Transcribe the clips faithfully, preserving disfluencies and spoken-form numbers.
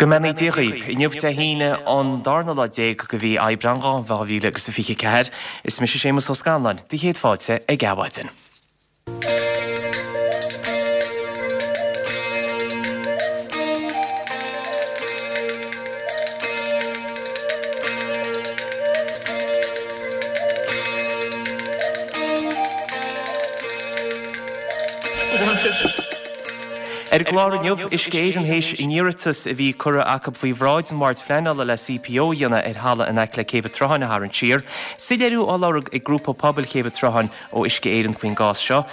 Go mbeannaí Dia dhaoibh. Inniu Dé hAoine an darna lá déag de mhí Aibreán dhá mhíle agus a fiche ceathair. Is mise Séamus Ó Scanláin, do chéad fáilte ag Adhmhaidin. Ar an gclár inniu, Uisce Éireann théis a n-iarratas a bhí curtha acu faoi bhráid an Bhoird Phleanála le CPO a dhéanamh ar thalamh in aice le Céibh an tSrutháin a tharraingt siar. Soiléiriú á lorg ag Grúpa Pobail Chéibh an tSrutháin ó Uisce Éireann faoin gcás seo.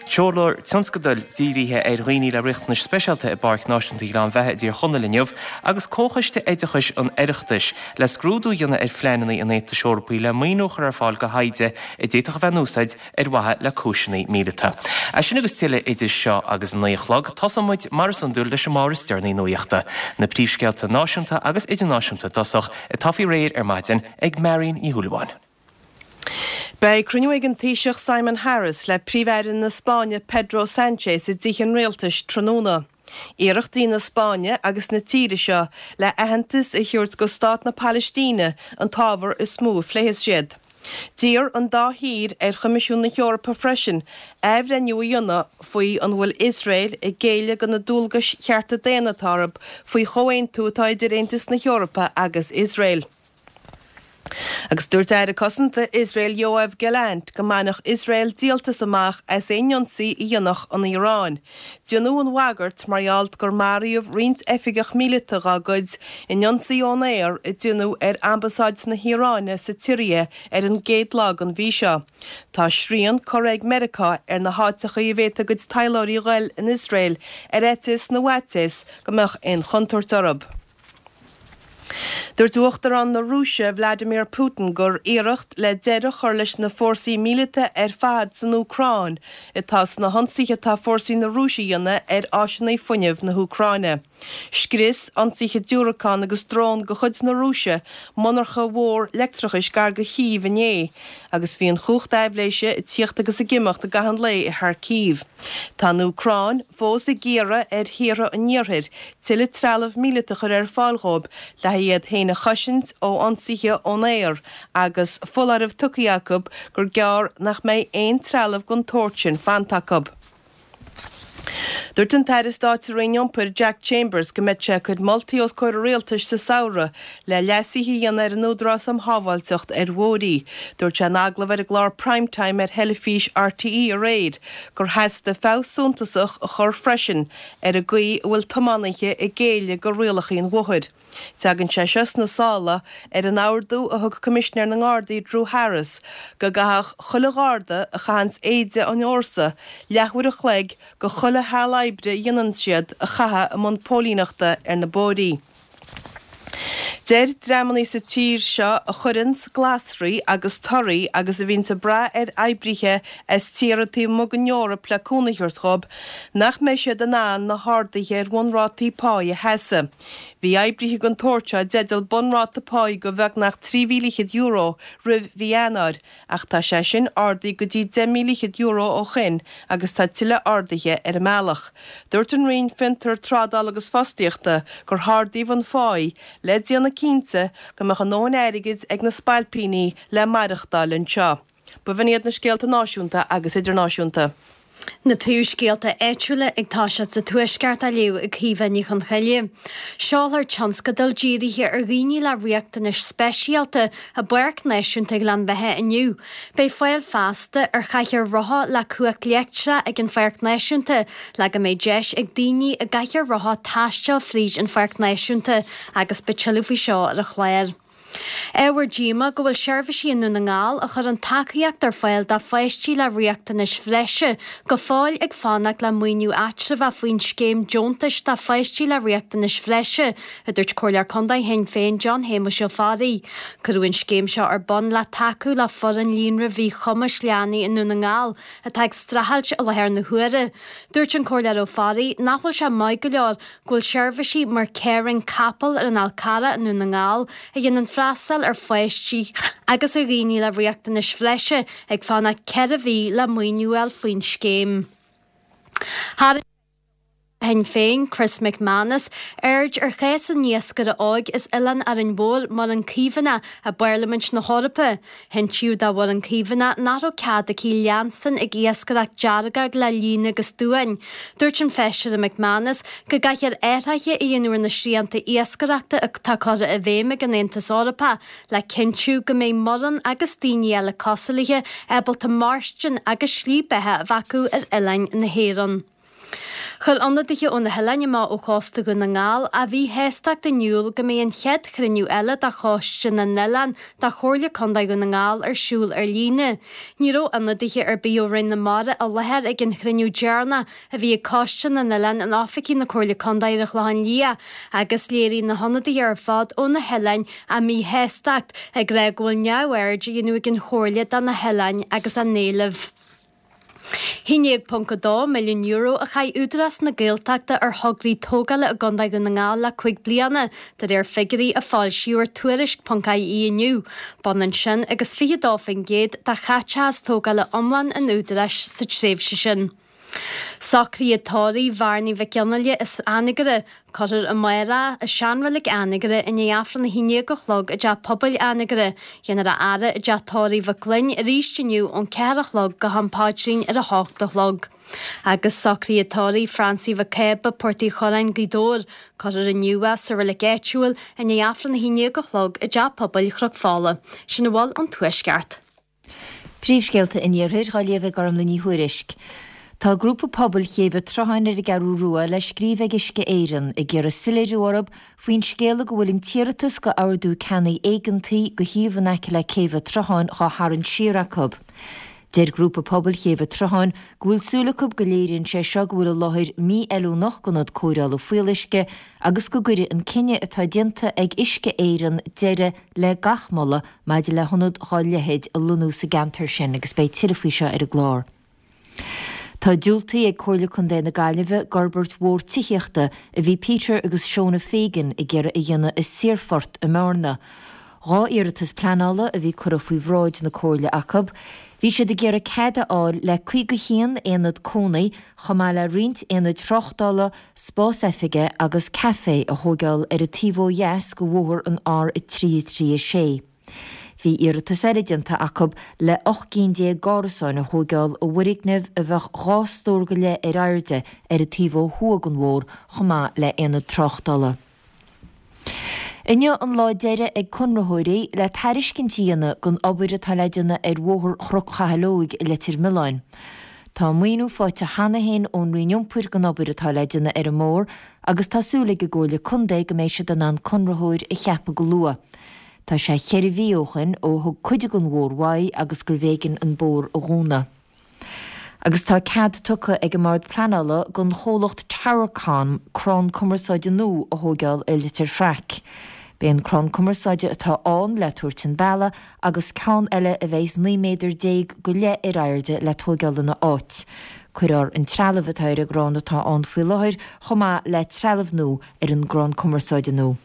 Seolfar tionscadal dírithe ar dhaoine le riachtanais speisialta i bPáirc Náisiúnta Ghleann Bheatha i dTír Chonaill inniu agus Comhchoiste Oideachais an Oireachtais le scrúdú a dhéanamh ar phleananna an Aontais Eorpaigh le maoiniú a chur ar fáil do thaighde a d'fhéadfadh a bheith in úsáid ar mhaithe le cúiseanna míleata. É sin agus tuilleadh idir seo agus a naoi a chlog. Tosóidh muid, mar is iondúil, leis an mbabhra is deireanaí nuachta. Na príomhscéalta náisiúnta agus idirnáisiúnta i dtosach, atá faoi réir ar maidin ag Marion Ní Shúilleabháin. Beidh cruinniú ag an Taoiseach Simon Harris le Príomh-Aire na Spáinne Pedro Sánchez i dTithe an Rialtais tráthnóna. Iarrachtaí na Spáinne agus na tíre seo le aitheantas a thabhairt go stát na Palaistíne an t-ábhar is mó a phléifidh siad. D'iarr an dá thír ar Choimisiún na hEorpa freisin athbhreithniú a dhéanamh faoi an bhfuil Iosrael ag géilleadh do na dualgais chearta daonna atá orthu faoi chomhaontú atá idir Aontas na hEorpa agus Iosrael. Agus dúirt Aire Cosanta Iosrael Yoav Gallant go mbainfeadh Iosrael díoltas amach as aon ionsaí a dhéanfadh an Iaráin. Déanadh an bhagairt mar gheall gur maraíodh roinnt oifigeach míleata dá gcuid in ionsaí ón aer a déanadh ar ambasáid na hIaráine sa tSiria ar an gcéad lá den mhí seo. Tá srian curtha ag Meiriceá ar na háiteacha a bhféadfadh a gcuid taidhleoirí a ghoil in Iosrael ar fhaitíos na bhfaitíos go mbeadh aon chontúirt orthu. Dúirt Uachtarán na Rúise Vladimir Putin gur iarracht le deireadh a chur leis na fórsaí míleata ar fad san Úcráin atá sna hionsaithe atá fórsaí na Rúise a dhéanamh ar áiseanna fuinnimh na hÚcráine. Scrios ionsaithe diúracán agus drón de chuid na Rúise monarcha mhór leictreachais gar do Chív inné agus bhí an chumhacht aibhléise ag tíocht agus ag imeacht i gcaitheamh an lae i Kharkiv. Tá an Úcráin fós ag iarraidh ar thíortha an Iarthair tuilleadh trealamh míleata a chur ar fáil dhóibh le iad féin a chosaint ó ionsaithe ón aer agus foláireamh tugtha acu gur gearr nach mbeidh aon trealamh den tsórt sin fanta acu. Dúirt an tAire Stáit sa Roinn Iompair Jack Chambers go mbeidh sé ag cur moltaí os comhair an Rialtais sa samhradh le leasuithe a dhéanamh ar an Údarás um Shábháilteacht ar Bhóithre. Dúirt sé in agallamh ar an gclár Prime Time ar theilifís RTÉ aréir gur theastaigh feabhas suntasach a chur freisin ar an gcaoi a bhfuil tiománaithe ag géilleadh do rialacha an bhóthair. Tagann sé seo sna sála ar an ordú a thug Coimisinéir na nGardaí Drew Harris go gcaithfeadh chuile Gharda a chaitheanns éide an fhórsa leathuair a chloig de chuile sheal oibre a dhéanann siad a chaitheamh i mbun póilíneachta ar na bóithrí. Deir dreamannaí sa tír seo a chuireanns glasraí agus torthaí agus a bhíonns ag brath ar oibrithe as tíortha taobh amuigh den Eoraip le cúnamh a thabhairt dhóibh nach mbeidh siad in ann na harduithe ar bhunrátaí páí a sheasamh. Bhí oibrithe den tsórt seo i dteideal bunráta páí de bheagnach trí mhíle fhichead euro roimh mhí Eanáir ach tá sé sin ardaithe go dtí deich míle fhichead euro ó shin agus tá tuilleadh arduithe ar an mbealach. Dúirt an Roinn Fiontar, Trádála agus Fostaíochta gur hardaíodh an pháí le déanamh cinnte go mbeadh a ndóthain airgid ag na spailpíní le maireachtáil anseo. B'in iad na scéalta náisiúnta agus idirnáisiúnta. Na príomhscéalta áitiúla ag toiseacht sa Tuaisceart á léamh ag Caoimhe Ní Chonchoille. Seolfar tionscadal dírithe ar dhaoine le riachtanais speisialta i bPáirc Náisiúnta Ghleann Bheatha inniu. Beidh fáil feasta ar chathaoir rotha le cumhacht leictreach ag an Pháirc Náisiúnta le go mbeidh deis ag daoine i gcathaoir rotha taisteal fríd an Pháirc Náisiúnta agus beidh tuilleadh faoi seo ar an chlár. Ábhar díomá go bhfuil seirbhísí i nDún na nGall a chuireann tacaíocht ar fáil do pháistí le riachtanais bhreise go fóill ag fanacht le maoiniú eatramhach faoin scéim deontais do pháistí le riachtanais bhreise, a dúirt Comhairleoir Contae Shinn Féin John Shéamuis Ó Fearraigh. Cuireadh an scéim seo ar bun le tacú le foireann líonra mhíchumais leanaí i nDún na nGall atá ag streachailt i láthair na huaire. Dúirt an Comhairleoir Ó Fearraigh nach bhfuil sé maith go leor go bhfuil seirbhísí mar Caring Capel ar an Fhál Carrach i nDún na nGall a dhéanann freastal ar pháistí agus ar dhaoine le riachtanais bhreise ag fanacht ceithre mhí le maoiniú a fháil faoin scéim. Tharraing Shinn Féin, Chris McManus, aird ar chás an iascaire óig as Oileán Árainn Mhór, Muireann Caomhánach, i bParlaimint na hEorpa. Hintíodh do Mhuireann Caomhánach nach raibh cead aici leanstan ag iascaireacht deargóg le líon agus duáin. Dúirt an Feisire McManus go gcaithfear athruithe a dhéanamh ar na srianta iascaireachta atá curtha i bhfeidhm ag an Aontas Eorpach le cinntiú go mbeidh Muireann agus daoine eile cosúil léi ábalta mairstin agus slí beatha a bheith acu ar oileáin na hÉireann. Chuir ionadaithe ó na hoileáin amach ó chósta Dhún na nGall a míshástacht in iúl go mbeidh an chéad chruinniú eile de Choiste na nOileán de Chomhairle Contae Dhún na nGall ar siúl ar líne. Ní raibh ionadaithe ar bith ó Roinn na Mara i láthair ag an chruinniú deireanach a bhí ag Coiste na nOileán in oifigí na Comhairle Contae ar an Chlochán Liath agus léirigh na hionadaithe ar fad ó na hoileáin a míshástacht ag rá go bhfuil neamhaird á dhéanamh ag an Chomhairle de na hoileáin agus a n-éilimh. haon déag ponc a dó milliún euro a chaith Údarás na Gaeltachta ar thograí tógála i gContae Dhún na nGall le cúig bliana, de réir figiúirí a foilsíodh ar Tuairisc ponc ie inniu. B'ionann sin agus fiche dó faoin gcéad de chaiteachas tógála iomlán an Údaráis sa tréimhse sin. Socruithe tórraimh Bhearnaí Mhic Fhionnghaile as Anagaire. Cuirfear amárach i seanreilig Anagaire i ndiaidh Aifreann a haon déag a chlog i dTeach Pobail Anagaire. Déanfar a fhaire i dTeach Tórraimh Mhic Gloinn arís inniu ón ceathair a chlog go ham paidrín ar a hocht a chlog. Agus socruithe tórraimh Francie Mhic Cába, Port Uí Churráin, Gaoth Dobhair. Cuirfear inniu é sa reilig áitiúil i ndiaidh Aifreann a haon déag a chlog i dTeach Pobail Chnoc Fola. Sin a bhfuil ón Tuaisceart. Príomhscéalta an Iarthair á léamh ag Gormlaith Ní Thuairisg. Tá grúpa pobail Chéibh an tSrutháin ar an gCeathrú Rua le scríobh ag Uisce Éireann ag iarraidh soiléiriú orthu faoin scéala go bhfuil an t-iarratas go ordú ceannaigh éigeantaigh go shuíomh in aice le Céibh an tSrutháin dhá tharraingt siar acu. Deir grúpa pobail Chéibh an tSrutháin go bhfuil súil acu go léiríonn sé seo go bhfuil an láthair mí-fheiliúnach don ionad cóireála fuíolluisce agus go gcuirfidh an cinneadh atá déanta ag Uisce Éireann deireadh le gach moladh maidir le hionad dhá leithéid a lonnú sa gceantar sin agus beidh tuilleadh faoi seo ar an gclár. Tá diúltaithe ag Comhairle Contae na Gaillimhe d'fhorbairt mhór tithíochta a bhí Peter agus Shona Fagan ag iarraidh a dhéanamh i Saorphort i mBearna. Dhá iarratas pleanála a bhí curtha faoi bhráid na Comhairle acu. Bhí siad ag iarraidh cead a fháil le caoga haon aonad cónaí chomh maith le roinnt aonaid tráchtála, spás oifige agus caife a thógáil ar an taobh ó dheas de bhóthar an R a trí a trí a sé. Bhí iarratas eile déanta acu le ocht gcinn déag d'árasáin a thógáil i bhfoirgneamh a bheadh dhá stór go leith ar airde ar an taobh ó thuaidh den bhóthar chomh maith le haonad tráchtála. Inniu an lá deiridh ag conraitheoirí le tairiscint a dhéanamh don obair atá le déanamh ar Bhóthar Chnoc Chathail Óig i Leitir Mealláin. Tá maoiniú faighte cheana féin ón Roinn Iompair don obair atá le déanamh ar an mbóthar agus tá súil ag an gComhairle Contae go mbeidh siad in ann conraitheoir a cheapadh go luath. Tá sé cheithre mhí ó shin ó thug cuid den bhóthar uaidh agus gurbh éigean an bóthar a dhúnadh. Agus tá cead tugtha ag an mBord Pleanála don chomhlacht Towercom crann cumarsáide nua a thógáil i Leitir Fraic. Beidh an crann cumarsáide atá ann le tabhairt chun bealaigh agus ceann eile a bheidh naoi méadar déag go leith ar airde le tógáil ina áit. Cuirfear an trealamh atá ar an gcrann atá ann faoi láthair chomh maith le trealamh nua ar an gcrann cumarsáide nua.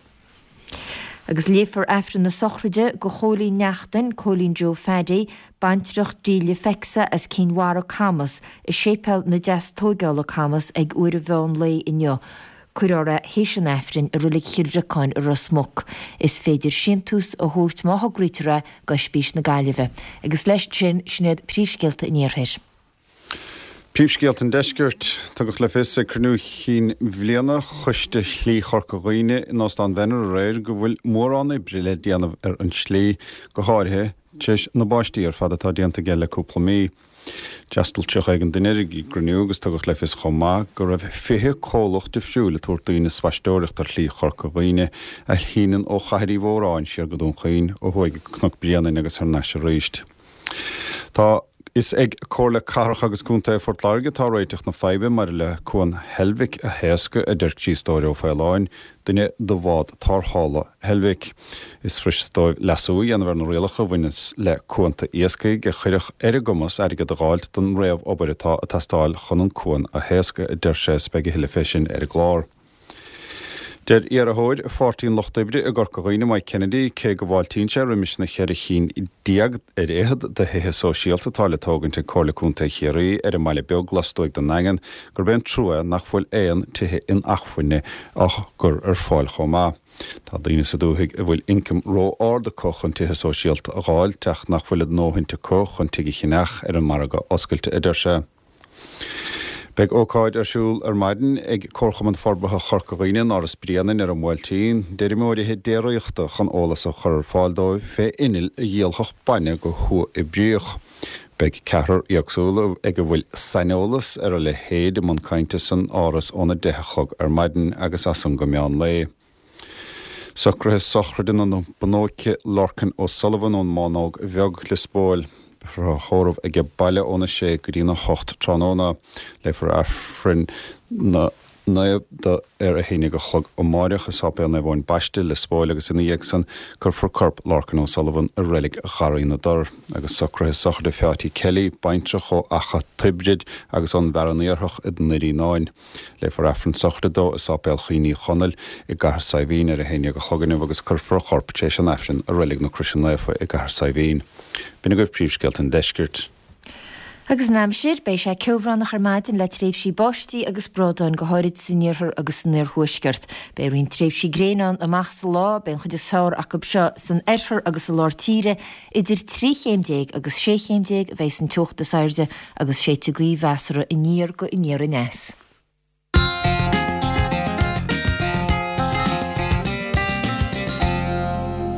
Agus léifear Aifreann na sochraide do Chóilín Neachtain, Cóilín Joe Phaddy, baintreach Delia Fecsa as Cinn Mhara, Camas, i Séipéal na Deastóigeála, Camas, ag uair an mheán lae inniu. Cuirfear é théis an Aifrinn i Reilig Chill Bhriocáin i Ros Muc. Is féidir síntiús a thabhairt má thograítear é d'Oispís na Gaillimhe. Agus leis sin, sin iad príomhscéalta an Iarthair. Príomhscéalta an Deiscirt. Tugadh le fios ag cruinniú chinn bhliana Choiste Shlí Chorca Dhuibhne in Óstán Venner aréir go bhfuil mórán oibre le déanamh ar an slí, go háirithe tar éis na báistí ar fad atá déanta aige le cúpla mí. D'fhreastail tríocha éigin duine ar an gcruinniú agus tugadh le fios chomh maith go raibh fiche comhlacht difriúil ag tabhairt daoine spaisteoireacht ar Shlí Chorca Dhuibhne a shíneann ó Chathair Uí Mhóráin siar go Dún Chaoin, ó thuaidh go Cnoc Bréanainn agus thar n-ais arís. Tá Is ag Comhairle Cathrach agus Contae Phort Láirge atá réiteach na faidhbe maidir le Cuan Heilbhic a thaoscadh, a deir Críostóir Ó Faoláin, duine de bhád tarrthála Heilbhic. Is fuirist dóibh leasú a dhéanamh ar na rialacha a bhaineas le cuanta iascaigh a chuirfeadh ar a gcumas airgead a dh'fháilt don réamh-obair atá ag teastáil chun an cuan a thaoscadh, a deir sé, is beidh a thuilleadh fé sin ar an gclár. Deir iarrthóir Pháirtí an Lucht Oibre i gCorca Dhuibhne, Mike Kennedy, cé go bhfáiltíonn sé roimis na ceithre chinn déag ar fhichead de thithe sóisialta atá le tógaint ag Comhairle Contae Chiarraí ar an mBaile Beag lastuaidh den nDaingean, gurb é an trua nach bhfuil aon tithe inacmhainne á gcur ar fáil chomh maith. Tá daoine sa dúthaigh a bhfuil ioncam ró-ard acu chun tithe sóisialta a dh'fháilt ach nach bhfuil a ndóthain acu chun tigh a cheannach ar an margadh oscailte, a deir sé. Beidh ócáid ar siúl ar maidin ag Comharchumann Forbartha Chorca Dhuibhne in Áras Bréanainn ar an mBuailtín d'fheirmeoirithe déiríochta chun eolas a chur ar fáil dóibh fé innill a dhíolfadh bainne go huathoibríoch. Beidh ceathrar éagsúil ag a bhfuil saineolas ar a leithéid i mbun cainte san Áras óna deich a chlog ar maidin agus as san go meán lae. Socruithe sochraide na bunóice Lorcan O'Sullivan ón mBánóg Bheag, Liospóil. Beifear á thórramh aige baile óna sé go dtína hocht tráthnóna. Léifear Aifreann na Naomh do ar a haon déag a chlog amáireach i Sáipéal Naomh Eoin Baiste, Liospóil agus ina dhiaidh san cuirfear corp Lorcan O'Sullivan i Reilig Gharraí na dTor. Agus socruithe sochraide Pheáití Kelly, baintreach ó Achadh Tiobraid agus ón bhFearann Iarthach i nDoire Fhíonáin. Léifear Aifreann sochraide dó i Sáipéal Choinn Uí Chonaill i gCathair Saidhbhín ar a haon déag a chlog inniu agus cuirfear a chorp tar éis an Aifrinn i Reilig na Croise Naofa i gCathair Saidhbhín. B'in agaibh príomhscéalta an deiscirt. Agus an aimsir, beidh sé ceobhránach ar maidin le tréimhsí báistí agus bradáin, go háirid san iarthar agus san iarthuaisceart. Beidh roinnt tréimhsí gréine ann amach sa lá, beidh an chuid is fearr acu seo san oirthear agus i lár tíre. Idir trí chéim déag agus sé chéim déag a bheidh an teocht is airde agus séidfidh gaoth mheasartha aniar go aniar aneas.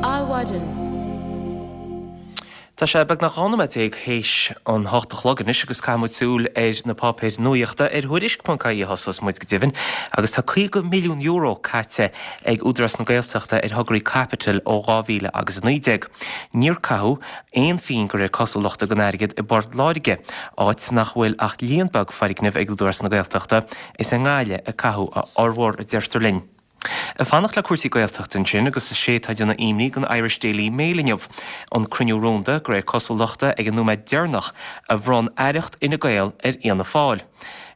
Adhmhaidin. Tá sé beagnach dhá nóiméad déag théis an hocht a chlog anois agus caithfidh muid súil ar na páipéir nuaíochta ar Thuairisc ponc ie a thosós muid go deimhin agus tá caoga milliún euro caite ag Údarás na Gaeltachta ar thograí caipitil ó dhá mhíle agus a naoi déag. Níor caitheadh aon phingin de réir cosúlachta den airgead i bPort Láirge, áit nach bhfuil ach líon beag foirgneamh ag Údarás na Gaeltachta, is i nGaillimh a caitheadh a fhormhór a deirtear linn. Ag fanacht le cúrsaí Gaeltachta ansin agus is é atá ag déanamh imní don Irish Daily Mail inniu, an cruinniú rúnda, de réir cosúlachta ag an nóiméad deireanach, a bhronn aireacht Fhine Gael ar Fhianna Fáil.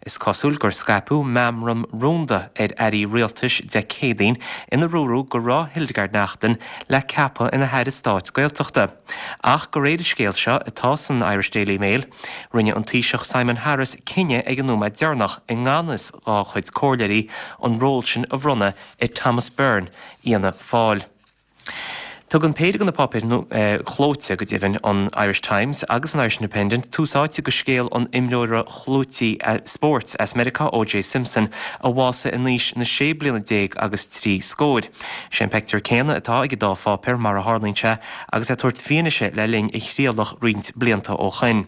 Is cosúil gur scaipeadh meamram rúnda ar airí rialtais Dé Céadaoin ina dúradh go raibh Hildegarde Naughton le ceapadh ina hAire Stáit Gaeltachta. Ach de réir an scéil seo atá san Irish Daily Mail, rinne an Taoiseach Simon Harris cinneadh ag an nóiméad deireanach i ngan fhios dá chuid comhairleoirí an ról sin a bhronnadh ar Thomas Byrne, Fhianna Fáil. Tugann péire de na páipéir chlóite, go deimhin, an Irish Times agus an Irish Independent, tús áite do scéal an imreora chlúitigh spóirt as Meiriceá, O J Simpson, a bhásaigh in aois na sé bliana déag agus trí scóir. Sé an pictiúr céanna atá ag an dá pháipéar, mar a tharlaíonn sé, agus é ag tabhairt fianaise le linn a thrialach roinnt blianta ó shoin.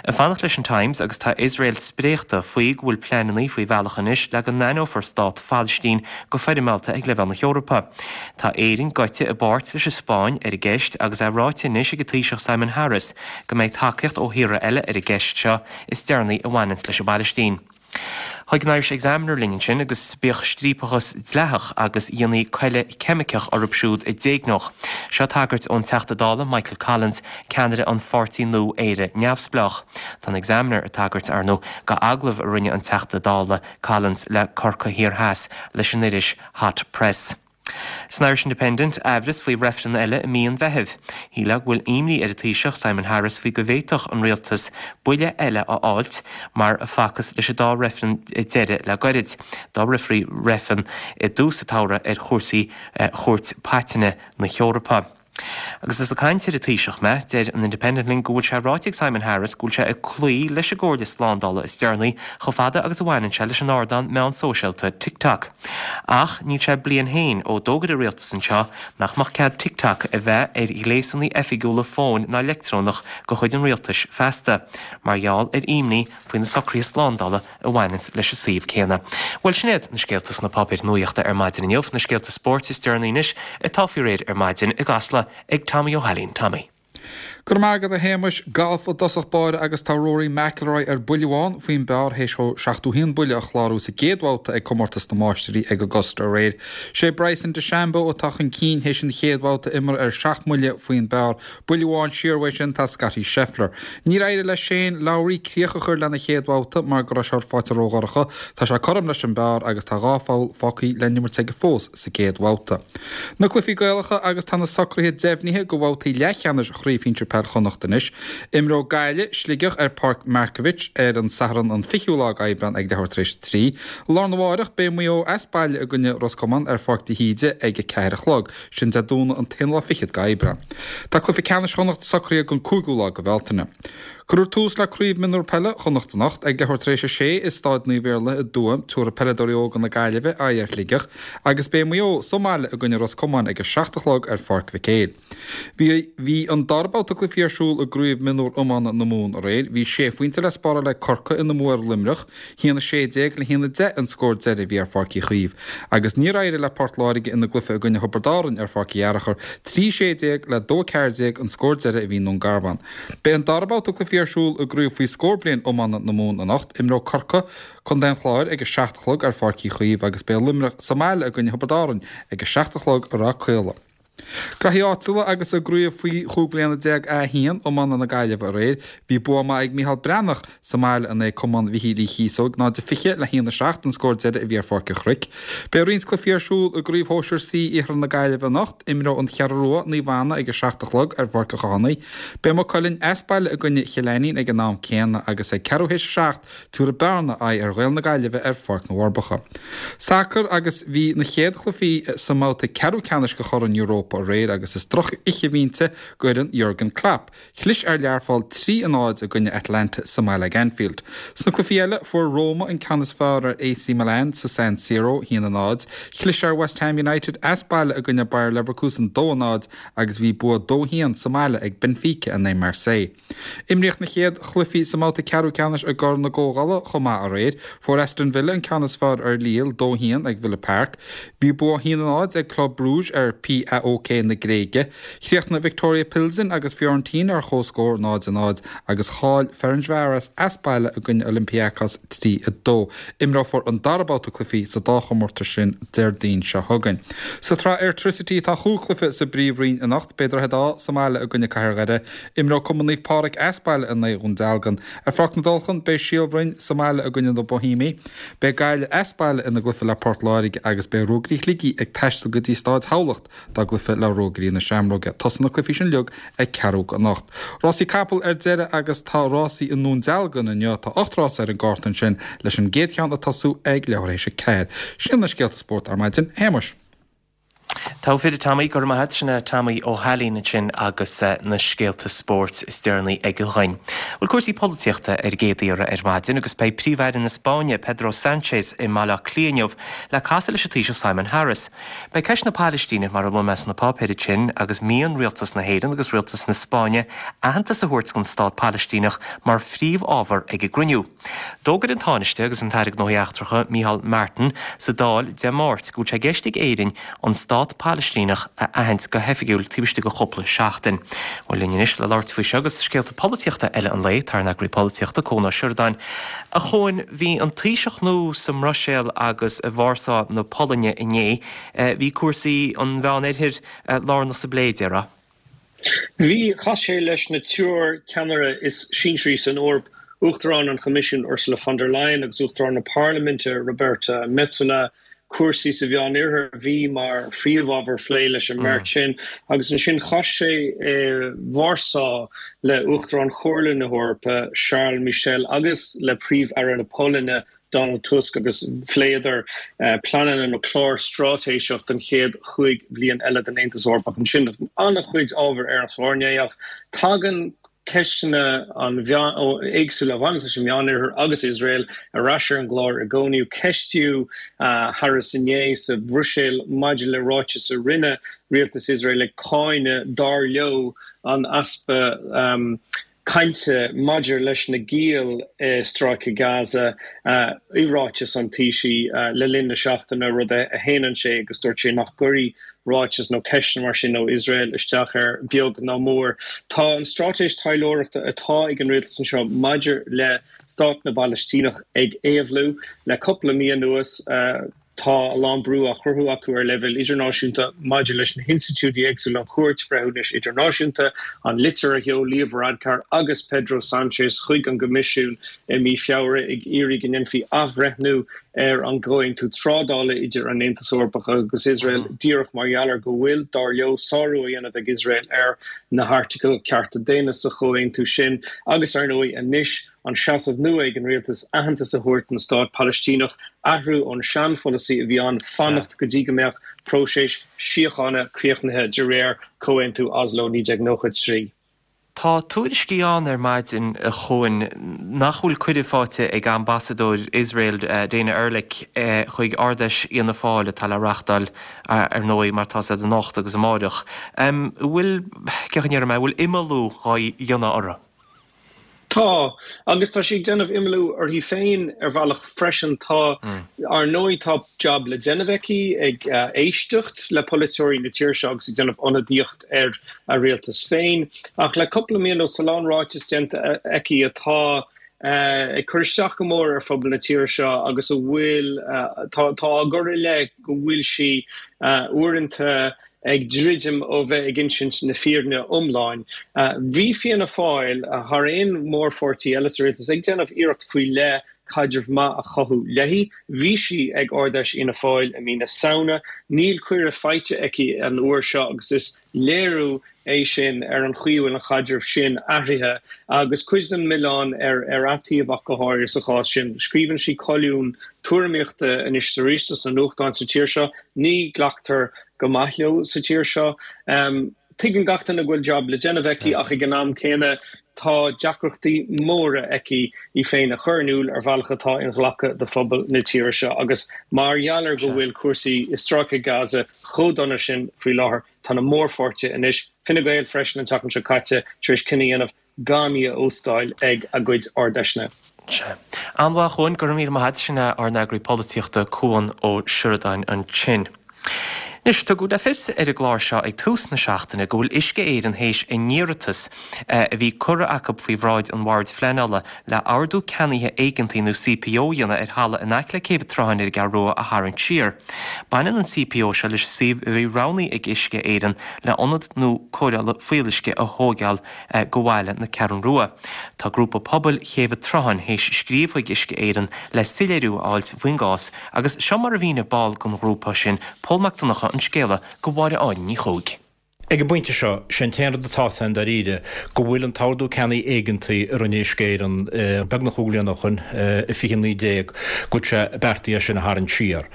Ag fanacht leis an Times agus tá Iosrael spréachta faoi go bhfuil pleananna faoi bhealach anois le go n-aithneofar stát Phalaistín go foirmeálta ag leibhéal na hEorpa. Tá Éirinn gaibhte i bpáirt leis an Spáinn ar an gceist agus é ráite anois ag an Taoiseach Simon Harris go mbeidh tacaíocht ó thíortha eile ar an gceist seo is deireanaí a bhaineanns leis an bPalaistín. Chuig an Irish Examiner linn ansin agus bíodh striapachas dleathach agus dhéanfaí coille ceimiceach orthu siúd a d'éigneodh. Seo tagairt ón Teachta Dála Michael Collins, ceannaire an pháirtí nua Éire Neamhspleách. Tá an Examiner ag tagairt, ar ndóigh, go agallamh a rinne an Teachta Dála Collins le Corcaigh Thiar Theas leis an iris Hot Press. San Irish Independent, aimhreas faoi reifreann eile i mí an Mheithimh. Shílfeá go bhfuil imní ar an Taoiseach Simon Harris faoi go bhféadfadh an rialtas buille eile a fháilt mar a facthas leis an dá reifreann deiridh le goirid, dá rithfí reifreann i dtús an tsamhraidh ar chúrsaí Chúirt Paitinne na hEorpa. Agus is ag caint ar an Taoiseach mé, deir an Independent linn go bhfuil sé ráite ag Simon Harris go bhfuil sé ag cloí leis an gcomhairle slándála is deireanaí chomh fada agus a bhaineann sé leis an ardán meán sóisialta TikTok. Ach níl sé bliain féin ó d'fhógair an rialtas anseo nach mbeadh cead TikTok a bheith ar ghléasanna oifigiúla fóin ná leictreonach de chuid an rialtais feasta, mar gheall ar imní faoi na socruithe slándála a bhaineanns leis an suíomh céanna. Bhuel, sin iad na scéalta sna páipéir nuaíochta ar maidin inniu, na scéalta spóirt is deireanaí anois atá faoi réir ar maidin i gCasla ag Tommy Ó hAilín. Tommy. Go raibh maith agat a Shéamais, Galf i dtosach báire agus tá Rory McIlroy ar buille amháin faoin bpar théis dó seachtó haon buille a chlárú sa gcéad bhabhta ag Comórtas na Máistrí ag Augusta aréir. Sé Bryson DeChambeau atá chun cinn théis an chéad bhabhta imeartha ar seacht mbuille faoin bpar. Buille amháin siar uaidh sin tá Scottie Scheffler. Níor éirigh le Shane Lowry críoch a chur lena chéad bhabhta mar go raibh sé faighte ródhorcha. Tá sé cothrom leis an bpar agus tá dhá pholl fágtha le n-imirt aige fós sa gcéad bhabhta. Na cluichí Gaelacha agus tá na socruithe deimhnithe do bhabhtaí leathcheannais Chraobh Shinsir Peil Chonnacht anois. Imreoidh Gaillimh Sligeach ar Páirc Markievicz ar an Satharn an fichiú lá d'Aibreán ag leathuair tar éis a trí. Lá arna mhárach beidh Maigh Eo as baile i gcoinne Ros Comáin ar Pháirc de hÍde ag a ceathair a chlog, sin Dé Domhnaigh an t-aon lá fichead d'Aibreán. Tá cluiche ceannais Chonnacht socraithe don cúigiú lá de Bhealtaine. Cuirfear tús le Craobh Mionúr Peile Chonnacht anocht ag leathuair tar éis a sé i Staid Naomh Iarlaith i dTuaim, tabharfaidh peileadóirí óga na Gaillimhe aghaidh ar Shligeach agus beidh Maigh Eo sa mbaile i gcoinne Ros Comáin ag a seacht a chlog ar Pháirc Mhic Éil. Bhí bhí an dara babhta cluichí ar siúl i gCraobh Mionúr Iomána na Mumhan aréir. Bhí sé phointe le spáráil ag Corcaigh ina mbua ar Luimneach, haon a sé déag le haon a deich an scór deiridh a bhí ar Pháirc Uí Chaoimh. Agus níor éirigh le Port Láirge ina gcluiche i gcoinne Thiobraid Árann ar Pháirc Uí Fhearachair, trí sé déag le dó a ceathair déag an scór deiridh a bhí i nDún Garbhán. Beidh an dara babhta cluichí ar siúl i gCraobh faoi scór bliain iomána na Mumhan anocht. Imreoidh Corcaigh, Contae an Chláir ag a seacht a chlog ar Pháirc Uí Chaoimh agus beidh Luimneach sa mbaile i gcoinne Thiobraid Árann ag a seacht a chlog i Ráth Caola. Graithí áitiúla agus i gcraobh faoi chúig bliana déag A haon iomána na Gaillimhe aréir, bhí bua maith ag Micheál Breathnach sa mbaile in aghaidh Cumann Mhichíl Uí Chíosóg, náid a fiche le haon a seacht an scór deiridh a bhí ar Pháirc an Chnoic. Beidh roinnt cluichí ar siúl i gcraobh shóisir C Iarthar na Gaillimhe anocht, imreoidh An Cheathrú Rua, Naomh Anna ag a seacht a chlog ar Pháirc an Chathánaigh. Beidh Maigh Cuilinn as baile i gcoinne Chill Ainnín ag an am céanna agus ag ceathrú théis a seacht tabharfaidh Bearna aghaidh ar Ghaeil na Gaillimhe ar Pháirc na bhForbacha. Sacar agus bhí na chéad chluichí sa mbabhta ceathrú ceannais de Chorn Europa aréir agus is droch-oíche a bhí inti d'fhoireann Jurgen Klopp. Chlis ar Learpholl trí a náid i gcoinne Atalanta sa mbaile ag Anfield. Sna cluichí eile fuair Roma an ceann is fearr ar A C Milan sa San Siro, haon a náid. Chlis ar West Ham United as baile i gcoinne Bayer Leverkusen dó a náid agus bhí bua dó haon sa mbaile ag Benfica in aghaidh Marseille. Imríodh na chéad chluichí sa mbabhta ceathrú ceannais i gCorn na gComhdhála chomh maith aréir. Fuair Aston Villa an ceann is fearr ar Lille dó haon ag Villa Park. Bhí bua haon a náid ag Club Brugge ar P A O K na Gréige. Chríochnaigh Viktoria Pilsen agus Fiorentina ar comhscór náid a náid agus chaill Ferencváros as baile i gcoinne Olympiacos trí a dó. Imreofar an dara babhta cluichí sa dá chomórtas sin Déardaoin seo chugainn. Sa tsraith Airtricity tá chúig chluiche sa bPríomhroinn anocht, beidh Droichead Átha sa mbaile i gcoinne Cathair Dhoire. Imreoidh Cumann Naomh Pádraig as baile in aghaidh Dhún Dealgan. Ar Pháirc na dTulchan beidh Síol Bhroin sa mbaile i gcoinne na Boihéamaigh. Beidh Gaillimh as baile ina gcluiche le Port Láirge agus beidh Ruagairí Shligigh ag taisteal go dtí Stáid Thamhlacht dá gcluiche le Ruagairí na Seamróige. Tosaíonn na cluichí sin uilig ag ceathrú go anocht. Rásaí capall ar deireadh agus tá rásaí i nDún Dealgan inniu, tá ocht rás ar an gcárta ansin leis an gcéad cheann ag tosú ag leathuair théis a ceathair. Sin na scéalta spóirt ar maidin, a Shéamais. Tá fid Tommy gur maith sinna Tommy Ó hAilín ansin agus na scéalta spóirt is deireanaí aige dhúinn. Bhuel cúrsaí polaitíochta ar an gcéad iarraidh ar maidin agus beidh Príomh-Aire na Spáinne Pedro Sánchez i mBaile Átha Cliath inniu le casadh leis an Taoiseach Simon Harris. Beidh ceist na Palaistíne mar a luaigh mé sna páipéir sin agus mian rialtas na hÉireann agus rialtas na Spáinne aitheantas a thabhairt don stát Palaistíneach mar phríomhábhar ag an gcruinniú. D'fhógair an Tánaiste agus an tAire Gnóthaí Eachtracha Micheál Martin sa Dáil Dé Máirt go bhfuil sé i gceist ag Éirinn an stát Palaistíneach a aithint go hoifigiúil taobh istigh de chúpla seachtain. Bhuel linn anois le labhairt faoi seo agus scéalta polaitíochta eile an lae tá ár n-eagraí polaitíochta Cuan Ó Seireadáin. A Chuain bhí an Taoiseach nua sa mBruiséil agus i Vársá na Polainne inné, bhí cúrsaí an Mheánoirthir lárnach sa bplé déarfá. Bhí chas sé leis na triúr ceannaire is sinsearaí san Eoraip, Uachtarán an Choimisiúin Ursula von der Leyen agus Uachtarán na Parlaiminte Roberta Metsola, cúrsaí sa Mheánoirthear a bhí mar phríomhábhar plé leis an mbeirt sin agus ansin chas sé i Vársá le Uachtarán Chomhairle na hEorpa Charles Michel agus le Príomh-Aire na Polainne Donald Tusk agus phléadar pleananna nó clár straitéiseach don chéad chúig bhliain eile den Aontas Eorpach. Ansin an-chuid ábhar ar an chlár inné ach tagann ceisteanna an éagsúla a bhaineann leis an Meánoirthear agus Iosrael ar ais ar an gclár i gcónaí. Ceistíodh Harris inné sa Bhruiséil maidir le ráiteas a rinne rialtas Iosrael ag cáineadh dar leo an easpa cainte maidir leis na giall i Stráice Gaza i ráiteas an Taoisigh le linn na seachtaine, rud a shéanann sé agus dúirt sé nach gcuirfidh ráiteas nó ceisteanna mar sin ó Iosrael isteach air beag ná mór. Tá an straitéis taidhleoireachta atá ag an rialtas anseo maidir le stát na bPalaistíneach ag éabhlú le cúpla mí anuas. Tá a lán brú á chruthú acu ar leibhéal idirnáisiúnta maidir leis na hinstitiúidí éagsúla, an Chúirt Bhreithiúnais Idirnáisiúnta, an litir a sheol Leo Varadkar agus Pedro Sánchez chuig an gCoimisiún i mí Feabhra ag iarraidh go ndéanfaí athbhreithniú ar an gcomhaontú trádála idir an Aontas Eorpach agus Iosrael díreach mar gheall ar go bhfuil, dar leo, sárú á dhéanamh ag Iosrael ar na hairteagail cearta daonna sa chomhaontú sin agus, ar ndóigh, anois an seasamh nua ag an rialtas aitheantas a thabhairt don stát Palaistíneach, athrú ón seanpholasaí a bhí ann fanacht go dtí go mbeadh próiseas síochána críochnaithe de réir Chomhaontú Oslo naoi déag nócha trí. Tá tuairiscí ann ar maidin, a Chuain, nach bhfuil cuireadh faighte ag ambasadóir Iosrael, Dana Erlich, chuig Ard-Fheis Fhianna Fáil atá le reáchtáil, ar ndóigh, mar atá a fhios agat anocht agus amáireach. An bhfuil, cén chaoi a ndéarfaidh mé, an bhfuil imeallú á dhéanamh orthu? Tá, agus tá sí ag déanamh imeallú uirthi féin ar bhealach freisin. Tá, ar ndóigh, tá jab le déanamh aici ag éisteacht le polaiteoirí na tíre seo agus ag déanamh ionadaíocht ar a rialtas féin. Ach le cúpla mí anuas tá a lán ráiteas déanta aici atá ag cur isteach go mór ar phobal na tíre seo agus a bhfuil, tá á gcur i leith go bhfuil sí uaireanta ag druidim ó bheith ag insint na fírinne iomláin. Bhí Fianna Fáil, thar aon mhórpháirtí eile sa rialtas, ag déanamh iarracht faoi leith caidreamh maith a chothú léi. Bhí sí ag Ard-Fheis Fhianna Fáil i mí na Samhna. Níl cuireadh faighte aici an uair seo agus is léiriú é sin ar an chaoi a bhfuil an chaidreamh sin athraithe agus cuid den milleán ar ar a taobh ach go háirithe sa chás sin. Scríobhann sí colúin tuairimíochta anois is arís sna nuachtáin sa tír seo. Ní ghlactar go maith leo sa tír seo. Tuigeann gach duine go bhfuil jab le déanamh aici ach ag an am céanna tá deacrachtaí móra aici í féin a chur in iúl ar bhealach atá inghlactha do phobal na tíre seo agus mar gheall ar go bhfuil cúrsaí i Stráice Gaza chomh dona sin faoi láthair, tá na mórpháirtithe anois, Fine Gael freisin an tseachtain seo caite, tar éis cinneadh a dhéanamh gan í a óstáil ag a gcuid Ard-Fheiseanna. Sea. An-mhaith, a Chuain, go raibh míle maith agat. Sin é ár n-eagraí polaitíochta Cuan Ó Seireadáin ansin. Anois, tugadh le fios ar an gclár seo ag tús na seachtaine go bhfuil Uisce Éireann théis a n-iarratas a bhí curtha acu faoi bhráid an Bhoird Phleanála le Ordú Ceannaithe Éigeantaigh nó C P O a dhéanamh ar thalamh in aice le Céibh an tSrutháin ar an gCeathrú Rua a tharraingt siar. Baineann an C P O seo leis an suíomh a bhí roghnaithe ag Uisce Éireann le ionad nua cóireála fuíolluisce a thóigeáil go bhaile na Ceathrún Rua. Tá grúpa pobail Chéibh an tSrutháin théis scríobh chuig Uisce Éireann le soiléiriú a fháilt faoin gcás agus seo mar a mhínigh ball den ghrúpa sin, Pól Mac Donncha, an scéala go Mháire Áine Ní Chuaig. Ag an bpointe seo, sé an t-aon rud atá ann dáiríre go bhfuil an t-ordú ceannaigh éigeantaigh a rinne Uisce Éireann beagnach cúig bliana ó shin, i fiche naoi déag, go bhfuil sé beartaithe é sin a tharraingt siar.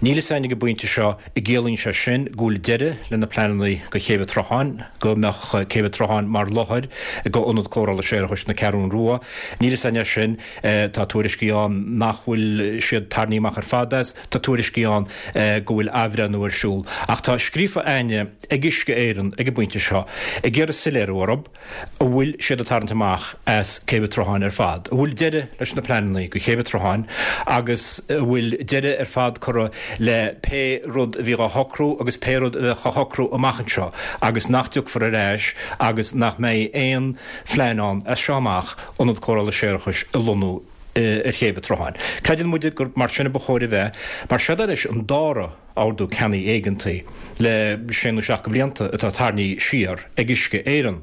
Níl fhios againn ag an bpointe seo an gciallaíonn sé sin go bhfuil deireadh le na pleananna go Céibh an tSrutháin, go mbeadh Céibh an tSrutháin mar láthair go ionad cóireála séarachais na Ceathrún Rua. Níl fhios againn é sin. Tá tuairiscí ann nach bhfuil siad tarraingthe amach ar fad as, tá tuairiscí ann go bhfuil athbhreithniú ar siúl. Ach tá scríofa againne ag Uisce Éireann ag an bpointe seo ag iarraidh soiléiriú orthu an bhfuil siad ag tarraingt amach as Céibh an tSrutháin ar fad, an bhfuil deireadh leis na pleananna go Céibh an tSrutháin agus an bhfuil deireadh ar fad curtha le pé rud a bhí á shocrú agus pé rud a bheadh á shocrú amach anseo agus nach dtiocfar ar ais agus nach mbeidh aon phlean ann as seo amach ionad cóireála séarachais a lonnú ar Chéibh an tSrutháin. Creideann muide gur mar sin a ba chóir a bheith, mar seod é anois an dara ordú ceannaigh éigeantaigh le sé nó seacht de bhlianta atá tarraingthe siar ag Uisce Éireann.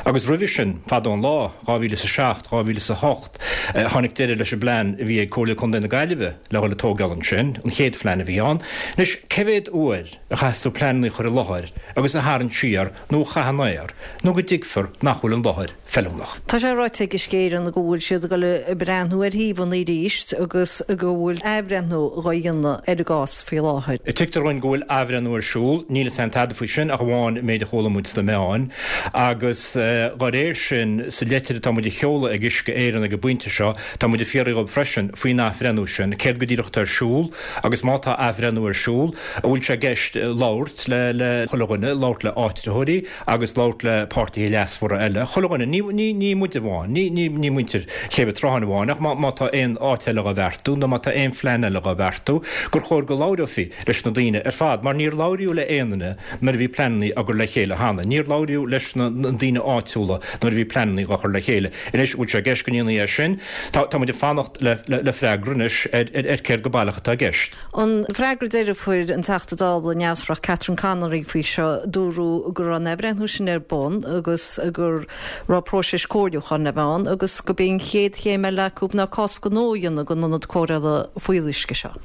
Agus roimhe sin, fadó an lá, dhá mhíle is a seacht, dhá mhíle is a hocht, tháinig deireadh leis an bplean a bhí ag Comhairle Contae na Gaillimhe le dhul ag tógáil ansin, an chéad phlean a bhí ann. Anois, cé mhéad uair a chaithfeas tú pleananna a chur i láthair agus a tharraingt siar nó a chaitheamh in aer nó go dtuigfear nach bhfuil an láthair feiliúnach. Tá sé ráite ag Uisce Éireann go bhfuil siad ag dul ag breathnú ar shuíomhanna arís agus go bhfuil athbhreithniú dhá dhéanamh ar an gcás faoi láthair. Tuigtear dhúinn go bhfuil athbhreithniú ar siúl, níl 'fhios a'inn tada faoi sin ach amháin an méid a chuala muid sna meáin, agus dá réir sin, sa leitir atá muid a sheoladh ag Uisce Éireann ag an bpointe seo, tá muid ag fiafraí dhóibh freisin faoin athbhreithniú sin, céard go díreach atá ar siúl agus má tá athbhreithniú ar siúl, an bhfuil sé i gceist labhairt le le chuile dhuine, labhairt le áitritheoirí agus labhairt le páirtithe leasmhara eile, chuile dhuine, ní ní ní muid amháin, ní ní ní muintir Chéibh an tSrutháin amháin, ach má má tá aon áit eile dhá bheartú nó má tá aon phlean eile dhá bheartú, gur chóir go labhrófaí leis na daoine ar fad, mar níor labhraíodh le aon duine nuair a bhí pleananna á gcur le chéile cheana. Níor labhraíodh leis na daoine áitiúla nuair a bhí pleananna dhá chur le chéile. Anois, bhfuil sé i gceist go ndéanfaí é sin? Tá tá muid ag fanacht le le freagra anois ar ar céard go baileach atá i gceist. An freagra deiridh a fuair an Teachta Dála neamhspleách Catherine Connolly faoi seo, dúradh go raibh an athbhreithniú sin ar bun agus go raibh próiseas comhairliúcháin le bheith ann agus gurb í an chéad chéim eile acu ná cás gnó a dhéanamh den ionad cóireála fuíolluisce seo.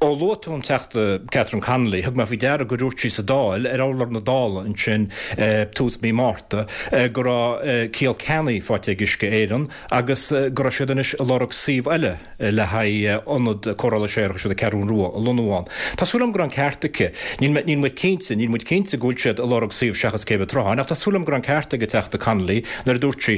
Ó luaigh tú an Teachta Catherine Connolly, thug mé faoi deara gur dhúirt sí sa Dáil, ar urlár na Dála ansin tús mí Márta, go raibh ciall ceannaigh faighte ag Uisce Éireann agus go raibh siad anois ag lorg suíomh eile le haghaidh ionad cóireála séarachais ar an Cheathrú Rua a lonnú ann. Tá súil agam go raibh an ceart aici. Níl mé, níl muid cinnte, níl muid cinnte go bhfuil siad ag lorg suíomh seachas Céibh an tSrutháin ach tá súil agam go raibh an ceart ag an Teachta Connolly nuair a dúirt sí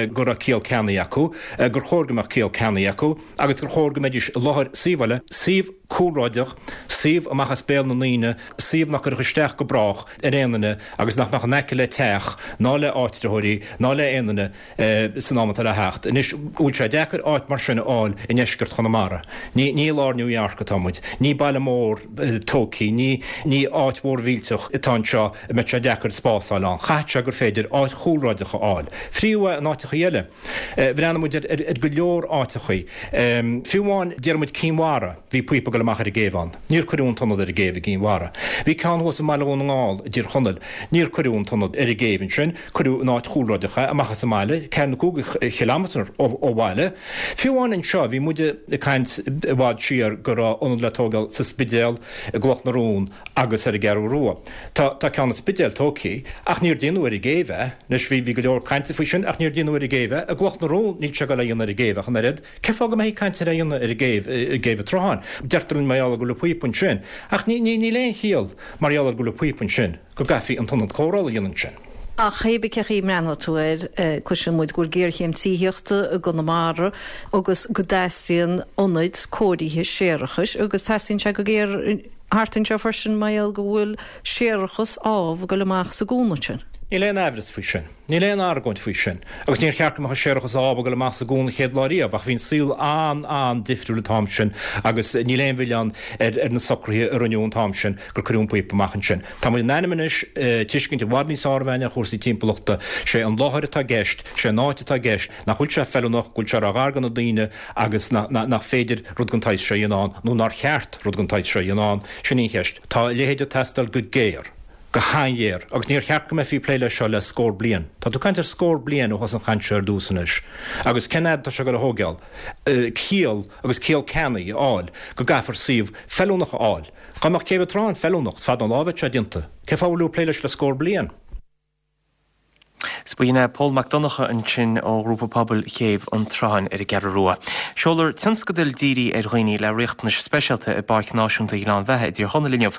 go raibh ciall ceannaigh acu, gur chóir go mbeadh ciall ceannaigh acu agus gur chóir go mbeidís i láthair suíomh eile, suíomh cúlráideach, suíomh amach as béal na ndaoine, suíomh nach gcuirfeadh isteach go brách ar aon duine agus nach mbeadh in aice le teach ná le áitritheoirí ná le aon duine san am atá le theacht. Anois, bhfuil sé deacair áit mar sin a fháil i ndeisceart Chonamara? Ní ní i lár New York atá muid. Ní baile mór tógtha, ní ní áit mhór mhillteach atá anseo a mbeadh sé deacair spás a fháil ann. Chaithfeadh sé gur féidir áit chúlráideach a fháil. Fiú in áiteachaí eile. Bhreathnaigh muid ar go leor áiteachaí. Fiú amháin, déarfaidh muid Cinn Mhara, bhí píopa ag dul amach ar an gcéibh ann. Níor cuireadh an t-ionad ar an gcéibh i gCinn Mhara. Bhí ceann thuas i mBaile Dhún na nGall, i dTír Chonaill. Níor cuireadh an t-ionad ar an gcéibh ansin, cuireadh in áit chúlráideach é, amach as an mbaile, ceathair nó cúig chileámeter ó bhaile. Fiú amháin anseo, bhí muid ag caint i bhfad siar go raibh ionad le tógáil sa Spidéal, i gCloch na Rón agus ar an gCeathrú Rua. Tá tá ceann an Spidéil tógtha, ach níor déanadh ar an gcéibh é. Anois bhí bhí go leor cainte faoi sin ach níor déanadh ar an gcéibh é. I gCloch na Rón níl sé ag dul á dhéanamh ar an gcéibh ach an oiread. Cén fáth go mbeifí ag caint ar é a dhéanamh ar an gcéibh i gCéibh an tSrutháin? Deirtear linn mar gheall ar go bhfuil an píopa ansin. Ach ní ní níl aon chiall mar gheall ar go bhfuil an píopa ansin go gcaithfí an t-ionad cóireála a dhéanamh ansin. Ach cé bith cén chaoi a mbreathnóidh tú air, cloiseann muid go bhfuil géarchéim tithíochta i gConamara agus go dteastaíonn ionaid cóirithe séarachais agus teastaíonn sé go géar thart anseo freisin mar gheall go bhfuil séarachas amh ag dul amach sa gcuan ansin. Níl aon aimhreas faoi sin. Níl aon argóint faoi sin. Agus níor cheart go mbeadh an séarachas amh ag dul amach sa gcuan an chéad lá riamh, ach bhí an saol an-an-difriúil an t-am sin agus níl aon mhilleán ar ar na socruithe a rinneadh an t-am sin gur cuireadh an píopa amach ansin. Tá muid in ainm anois tuiscint i bhfad níos fearr a bheith againn ar chúrsaí timpeallachta. Sé an láthair atá i gceist, sé an áit atá i gceist, nach bhfuil sé feiliúnach, go bhfuil sé ró-ghar do na daoine agus nach féidir rud den tsaghas seo a dhéanamh ann, nó nár cheart rud den tsaghas seo a dhéanamh ann, sin í an cheist. Tá a leithéid ag teastáil go géar. go han-ghéar, agus níor cheart go mbeifí ag plé leis seo le scór bliain. Tá tú ag caint ar scór bliain ó thosaigh an chaint seo ar dtús anois. Agus cén fhad atá sé ag dul a thógáil ciall agus ciall ceannaigh a fháil go gcaithfear suíomh feiliúnach a fháil? Dá mbeadh Céibh an tSrutháin feiliúnach, is fada an lá a bheadh sé déanta. Cén fáth a bhfuil tú ag plé leis le scór bliain? 'S b'in é Pól Mac Donncha ansin ó Ghrúpa Pobail Chéibh an tSrutháin ar an gCeathrú Rua. Seolfar tionscadal dírithe ar dhaoine le riachtanais speisialta i bPáirc Náisiúnta Ghleann Bheatha i dTír Chonaill inniu.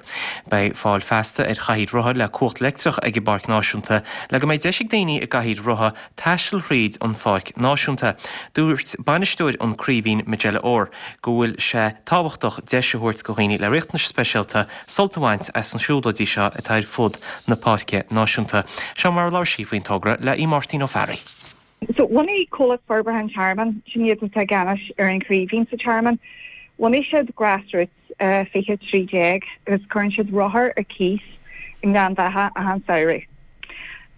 Beidh fáil feasta ar chathaoir rotha le cumhacht leictreach ag an bPáirc Náisiúnta le go mbeidh deis ag daoine i gcathaoir rotha taisteal thríd an Pháirc Náisiúnta. Dúirt bainisteoir an Craoibhín, Majella Orr, go bhfuil sé tábhachtach deis a thabhairt go dhaoine le riachtanais speisialta sult a bhaint as na siúlóidí seo atá ar fud na Páirce Náisiúnta. Seo mar a labhair sí faoin togra le Aodh Máirtín Ó Fearraigh. So bhunaigh Comhlacht Forbartha an Tearmainn, sin iad atá i gceannais ar an Chraoibhín sa Tearmann, bhunaigh siad Grassroots fiche trí déag agus cuireann siad rothair ar cíos i nGleann Bheatha achan samhradh.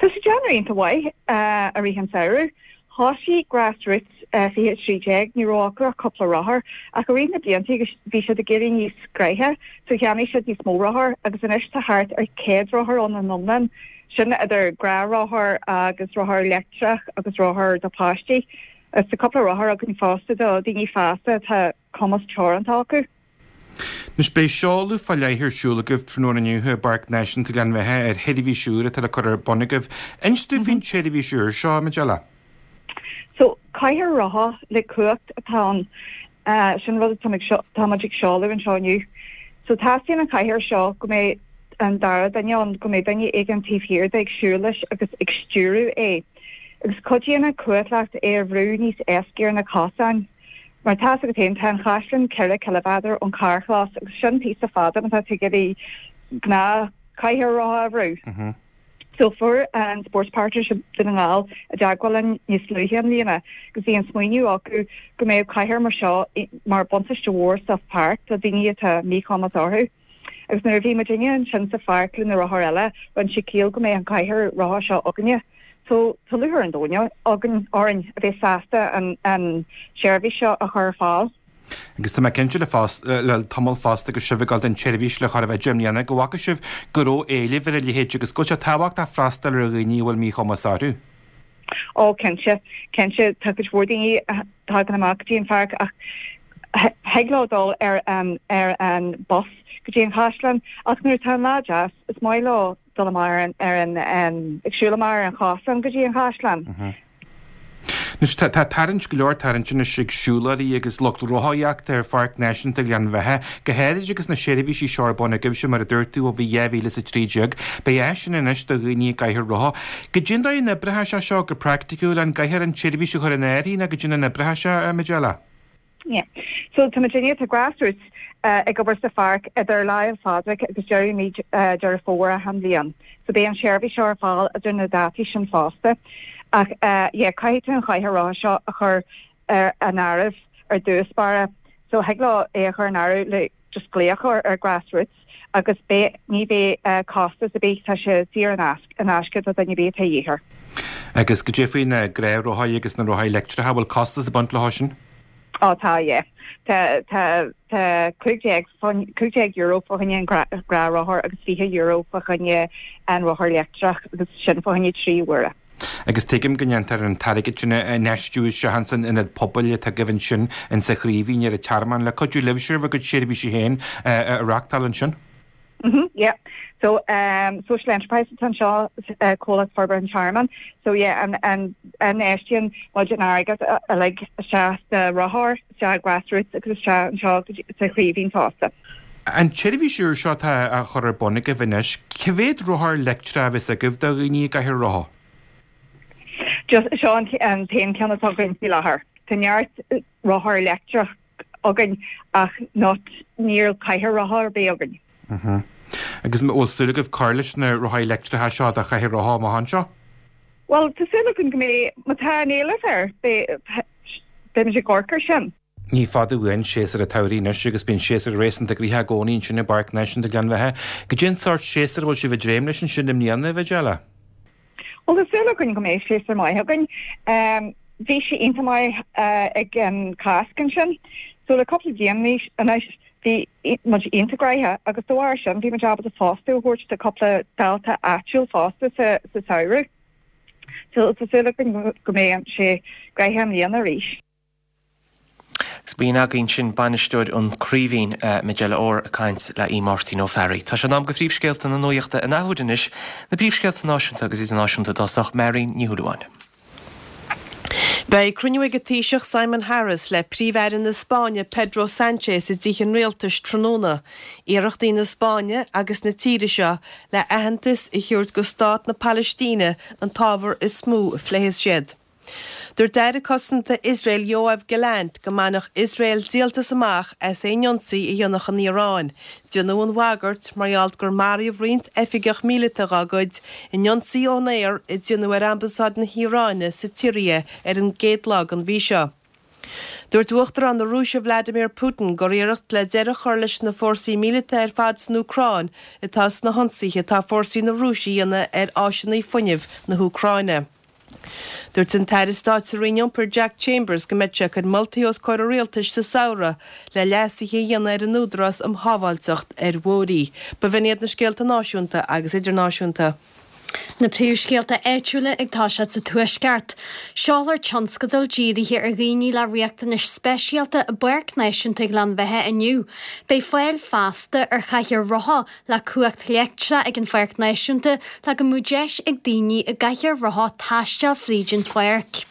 Tá sé déanamh iontach mhaith i rith an samhradh. Thosaigh Grassroots fiche a trí déag, ní raibh acu ach cúpla rothar, ach i rith na blianta bhí siad ag éirí níos gnoithí, so cheannaigh siad níos mó rothar agus anois tá thart ar céad rothar ann in iomlán, sin idir gnáthrothair agus rothar leictreach agus rothar do pháistí. Agus tá cúpla rothar againn fosta do daoine fásta atá cumas teoranta acu. Anois beidh seoladh fá leith ar siúl agaibh tráthnóna inniu i bPáirc Náisiúnta Ghleann Bheatha ar sheirbhís úr atá le cur ar bun agaibh. Inis dúinn faoin tseirbhís úr seo, Majella. So, cathaoir rotha le cumhacht atá ann. Sin rud atá muid ag seoladh anseo inniu. So teastaíonn an chathaoir seo go mbeidh an dara duine ann, go mbeidh duine éigin taobh thiar de ag siúl leis agus ag stiúradh é. Agus cuidíonn an chumhacht é a bhrú níos éasca ar na cosáin. Mar tá a fhios agat féin, tá an chaisleán ceithre ciliméadar ón carrchlós agus sin píosa fada má tá tú ag iarraidh gnáth chathaoir rotha a bhrú. So fuair an Sports Partnership Dún na nGall i dteagmháil linn níos luaithe i mbliana agus bhí an smaoineamh acu go mbeadh cathaoir mar seo mar buntáiste mhór sa pháirc do daoine atá míchumas orthu. Agus nuair a bhí muidinne ansin sa pháirc le na rothair eile, rinne sé ciall go mbeadh an cathaoir rotha seo againne. So tá lúcháir an domhain againn orainn a bheith sásta an an seirbhís seo a chur ar fáil. Agus tá mé cinnte le le tamall fosta agus sibh ag dul don tseirbhís le chóir a bheith deich mbliana go bhfaca sibh go raibh éileamh ar a leithéid agus go bhfuil sé tábhachtach freastal ar dhaoine a bhfuil míchumas orthu. Ó cinnte, cinnte tá cuid mhór daoine a thagann amach go dtí an pháirc ach thig leo dul ar an ar an bus go dtí an chaisleán ach nuair atá an lá deas is maith leo dul amach ar an ar an ag siúl amach ar an chosán go dtí an chaisleán. Anois tá tá tarraingt go leor tarraingt anois ag siúlóirí agus lucht rothaíochta ar Pháirc Náisiúnta Ghleann Bheatha, go háirid agus na seirbhísí seo ar bun agaibhse mar a dúirt tú ó bhí dhá mhíle is a trí déag. Beidh áiseanna anois do dhaoine i gcathaoir rotha. Goidé an dóigh a n-oibreoidh sé seo go praiticiúil, an gcaithfear an tseirbhís a chur in áirithe nó goidé an oibreoidh sé, a Majella? Yeah. So tá muidinne, tá Grassroots ag obair sa pháirc idir Lá Fhéile Pádraig agus deireadh mí Deireadh Fómhair achan bhliain. So beidh an tseirbhís seo ar fáil idir na dátaí sin fosta. Ach yeah, caithfidh tú an chathaoir rotha seo a chur ar an áireamh ar dtús báire. So thig leo é a chur in áireamh le just glaoch ar ar Grassroots agus beidh, ní bheidh costas ar bith, tá sé saor in in aisce do dhuine ar bith atá de dhíth air. Agus goidé faoi na gnáthrothaí agus na rothaí leictreacha, bhfuil costas ag baint leo sin? Ó tá, yeah. Tá, tá, tá cúig déag, cúig déag euro fá choinne an gnáthrothar agus fiche euro fá choinne an rothar leictreach agus sin fá choinne trí huaire. Agus tuigim go ndéantar an t-airgead sin a infheistiú isteach ins an ionad pobail atá agaibh ansin insa Chraoibhín ar an Tearmann le cuidiú libhse bhur gcuid seirbhísí féin a reáchtáil ansin. Mhm, yeah. So, um, social enterprise atá anseo, uh, Comhlacht Forbartha an Tearmainn. So, yeah, an, an, infheistíonn muid an airgead uilig isteach sna rothair, isteach Grassroots agus isteach anseo sa Chraoibhín fosta. An tseirbhís úr seo atá á chur ar bun agaibh anois, cá mhéad rothar leictreach a bheas agaibh do dhaoine i gcathaoir rotha? Just seo an an t-aon ceann atá againn faoi láthair. Tá neart rothar leictreach againn ach not níl cathaoir rotha ar bith againn. Mhm. Agus an bhfuil súil agaibh cur leis na rothaí leictreacha seo do chathaoir rotha amach anseo? Bhuel, tá súil againn go mbeidh, má tá an éileamh air, beidh beimid ag amharc air sin. Ní fada uainn séasúr an tsamhraidh anois agus bíonn séasúr réasúnta gnoitheach i gcónaí ansin i bPáirc Náisiúnta Ghleann Bheatha. Goidé an sórt séasúr a bhfuil sibh ag dréim leis ansin i mbliana, a Mhajella? Bhuel, tá súil againn go mbeidh séasúr maith againn. Bhí sé iontach maith ag an Cásc ansin. So le cúpla bliain anois bhí muid iontach gnoitheach agus de bharr sin bhí muid ábalta fostú a thabhairt do cúpla dalta áitiúil fosta sa sa samhradh. So tá súil againn go mbeidh sé gnoitheach i mbliana arís. Agus b'in againn sin bainisteoir an Chraoibhín, Majella Orr, ag caint le Aodh Máirtín Ó Fearraigh. Tá sé in am do phríomhscéalta na nuachta an athuair anois, na príomhscéalta náisiúnta agus idirnáisiúnta i dtosach, Máirín Ní Shúilleabháin. Beidh cruinniú ag an Taoiseach Simon Harris le Príomh-Aire na Spáinne Pedro Sánchez i dTithe an Rialtais tráthnóna. Iarrachtaí na Spáinne agus na tíre seo le aitheantas a thabhairt go stát na Palaistíne an t-ábhar is mó a phléifidh siad. Dúirt Aire Cosanta Iosrael Yoav Gallant go mbainfeadh Iosrael díoltas amach as aon ionsaí a dhéanfadh an Iaráin. Déanadh an bhagairt mar gheall gur maraíodh roinnt oifigeach míleata dá gcuid in ionsaí ón aer a déanadh ar ambasáid na hIaráine sa tSiria ar an gcéad lá den mhí seo. Dúirt Uachtarán na Rúise Vladimir Putin gur iarracht le deireadh a chur leis na fórsaí míleata ar fad san Úcráin atá sna hionsaithe atá fórsaí na Rúise a dhéanamh ar áiseanna fuinnimh na hÚcráine. Dúirt an tAire Stáit sa Roinn Iompair Jack Chambers go mbeidh sé ag cur moltaí os comhair an Rialtais sa samhradh le leasuithe a dhéanamh ar an Údarás um Shábháilteacht ar Bhóithre. B'in iad na scéalta náisiúnta agus idirnáisiúnta. Na príomhscéalta áitiúla ag toiseacht sa Tuaisceart. Seolfar tionscadal dírithe ar dhaoine le riachtanais speisialta i bPáirc Náisiúnta Ghleann Bheatha inniu. Beidh fáil feasta ar chathaoir rotha le cumhacht leictreach ag an Pháirc Náisiúnta le go mbeadh deis ag daoine i gcathaoir rotha taisteal fríd an pháirc.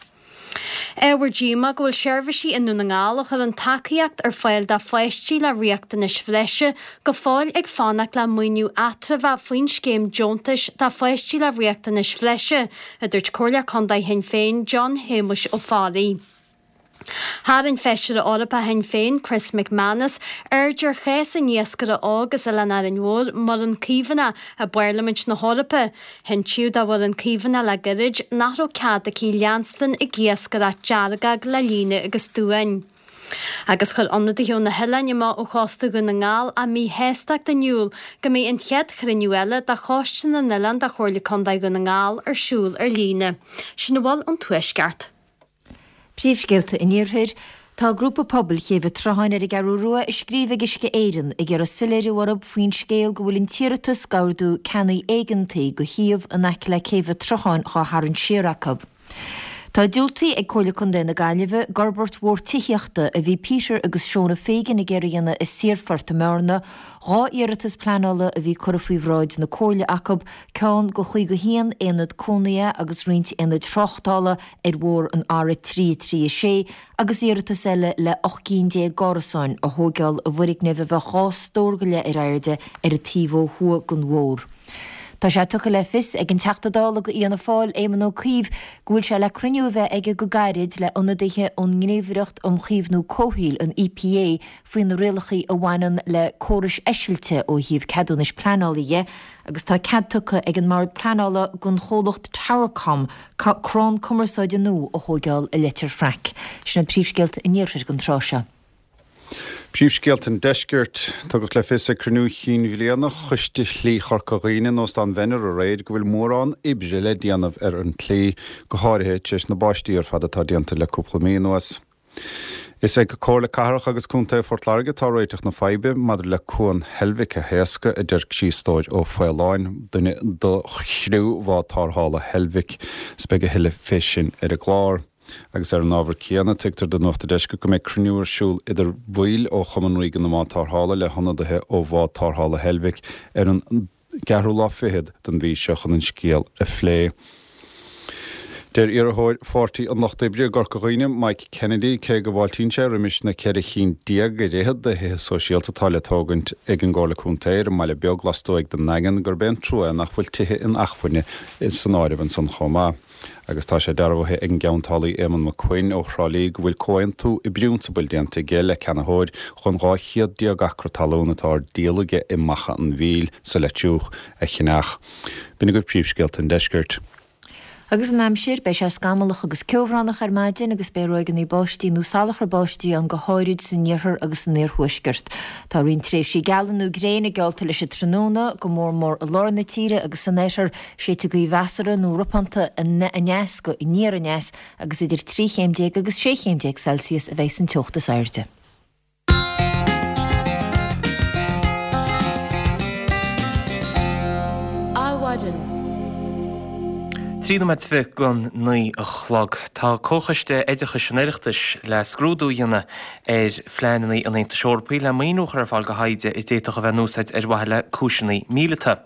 Ábhar díomá go bhfuil seirbhísí i nDún na nGall a chuireann tacaíocht ar fáil do pháistí le riachtanais bhreise go fóill ag fanacht le maoiniú eatramhach faoin scéim deontais do pháistí le riachtanais bhreise, a dúirt Comhairleoir Contae Shinn Féin John Shéamuis Ó Fearraigh. Tharraing Feisire Eorpach Shinn Féin, Chris McManus, aird ar chás an iascaire óg as Oileán Árainn Mhór, Muireann Caomhánach, i bParlaimint na hEorpa. Hinsíodh do Mhuireann Caomhánach le gairid nach raibh cead aici leanstan ag iascaireacht deargóg le líne agus duáin. Agus chuir ionadaithe ó na hoileáin amach ó chósta Dhún na nGall a míshástacht in iúl go mbeidh an chéad chruinniú eile de Choiste na nOileán de Chomhairle Contae Dhún na nGall ar siúl ar líne. Sin a bhfuil ón Tuaisceart. Príomhscéalta an Iarthair, Tá grúpa pobail Chéibh an tSrutháin ar an gCeathrú Rua ag scríobh ag Uisce Éireann ag iarraidh soiléiriú orthu faoin scéal go bhfuil an t-iarratas d'ordú ceannaigh éigeantaigh do shuíomh in aice le Céibh an tSrutháin dhá tharraingt siar acu. Tá diúltaithe ag Comhairle Contae na Gaillimhe d'fhorbairt mhór tithíochta a bhí Peter agus Shona Fagan ag iarraidh a dhéanamh i Saorphort i mBearna, dhá iarratas pleanála a bhí curtha faoi bhráid na Comhairle acu, ceann do chaoga a haon aonad cónaithe agus roinnt aonaid thráchtála ar bhóthar an R a trí a trí a sé agus iarratas eile le ocht gcinn déag d'árasáin a thóigeáil i bhfoirgneamh a bheadh dhá stór go leith ar airde ar an taobh ó thuaidh den bhóthar. Tá sé tugtha le fios ag an Teachta Dála do Fhianna Fáil, Éamon Ó Cuív, go bhfuil sé le cruinniú a bheith aige go gairid le ionadaithe ón nGníomhaireacht um Chaomhnú Comhshaoil, an EPA, faoi na rialacha a bhaineann le córais eisilte ó thaobh ceadúnais pleanála dhe agus tá cead tugtha ag an mBord Pleanála don chomhlacht Towercom crann cumarsáide nua a thóigeáil i Leitir Fraic. Sin iad príomhscéalta an Iarthair don tráth seo. Príomhscéalta an Deiscirt, Tugadh le fios ag cruinniú chinn bhliana Choiste Shlí Chorca Dhuibhne in Óstán Mhenner aréir go bhfuil mórán oibre le déanamh ar an tslí, go háirithe tar éis na báistí ar fad atá déanta le cúpla mí anuas. Is ag Comhairle Cathrach agus Contae Phort Láirge atá réiteach na faidhbe maidir le Cuan Heilbhic a thaoscadh, a deir Críostóir Ó Faoláin, duine de chriú bhád tarrthála Heilbhic. Is beidh a thuilleadh fé sin ar an gclár. Agus ar an ábhar céanna, tuigtear do Nuacht an Deiscirt go mbeidh cruinniú ar siúl idir bhaill ó Chumann Ríoga na mBád Tarrthála le hionadaithe ó Bhád Tarrthála Heilbhic ar an gceathrú lá fichead den mhí seo chun an scéal a phlé. Deir iarrthóir Pháirtí an Lucht Oibre i gCorca Dhuibhne, Mike Kennedy, cé go bhfáiltíonn sé roimis na ceithre chinn déag ar fhichead de thithe sóisialta atá le tógaint ag an gComhairle Contae ar an mbaile beag lastuaidh den nDaingean, gurb é an trua é nach bhfuil tithe inacmhainne san áireamh ansan chomh maith. Agus tá sé dearbhaithe ag an gceantálaí Éamonn Mac Coinn ó Thrá Lí go bhfuil comhaontú i bprionsabal déanta aige le ceannaitheoir chun dhá chéad déag acra talún atá ar díol aige i Macha an Mhíl sa Leitriúch a cheannach. B'in agaibh príomhscéalta an deiscirt. Agus an aimsir, beidh sé scamallach agus ceobhránach ar maidin agus beidh ráigeanna báistí nó salachar báistí ann go háirid san iarthar agus san iarthuaisceart. Tá roinnt tréimhsí geala nó gréine geallta leis an tráthnóna, go mór mór i lár na tíre agus san oirthear, séidfidh gaoth mheasartha nó ropánta aneas go aniar aneas agus idir trí chéim déag agus sé chéim déag Celsius a bheidh san teocht is airde. Adhmhaidin. Trí nóiméad fiche don naoi a chlog. Tá Comhchoiste Oideachais an Oireachtais le scrúdú a dhéanamh ar phleananna an Aontais Eorpaigh le maoiniú a chur ar fáil do thaighde a d'fhéadfadh a bheith in úsáid ar mhaithe le cúiseanna míleata.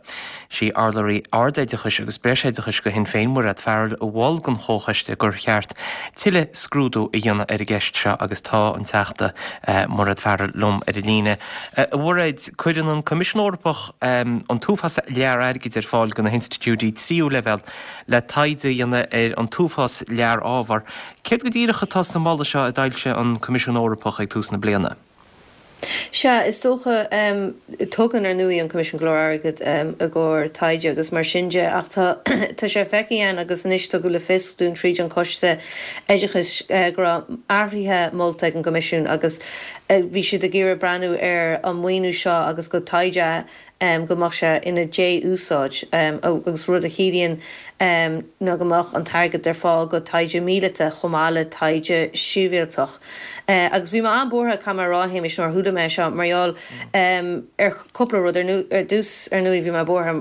Sí urlabhraí Ardoideachais agus Breisoideachais do Shinn Féin, Mairéad Farrell, a mhol don Chomhchoiste gur cheart tuilleadh scrúdú a dhéanamh ar an gceist seo agus tá an Teachta Mairéad Farrell liom ar an líne. A Mhairéad, cuireann an Coimisiún Eorpach an t-uafás lear airgid ar fáil do na hinstitiúidí tríú leibhéal le taighde a dhéanamh ar an t-uafás lear ábhar. Céard go díreach atá sa mholadh seo a d'fhoilsigh an Coimisiún Eorpach ag tús na bliana? Sea, is dócha, tugann, ar ndóigh, an Coimisiún go leor airgid i gcomhair taighde agus mar sin de, ach tá, tá sé feicthe againn agus anois tugadh le fios dúinn tríd an Coiste Oideachais go raibh athruithe molta ag an gCoimisiún agus bhí siad ag iarraidh breathnú ar an maoiniú seo agus go taighde go mbeadh sé ina dé-úsáid agus rud a chiallaíonn ná go mbeadh an t-airgead ar fáil go taighde míleata chomh maith le taighde sibhialtach. Agus bhí mé an-bhuartha, caithfidh mé a rá, a Shéamais, nuair a chuala mé é seo mar gheall ar chúpla rud. Ar dtús, ar ndóigh, bhí mé buartha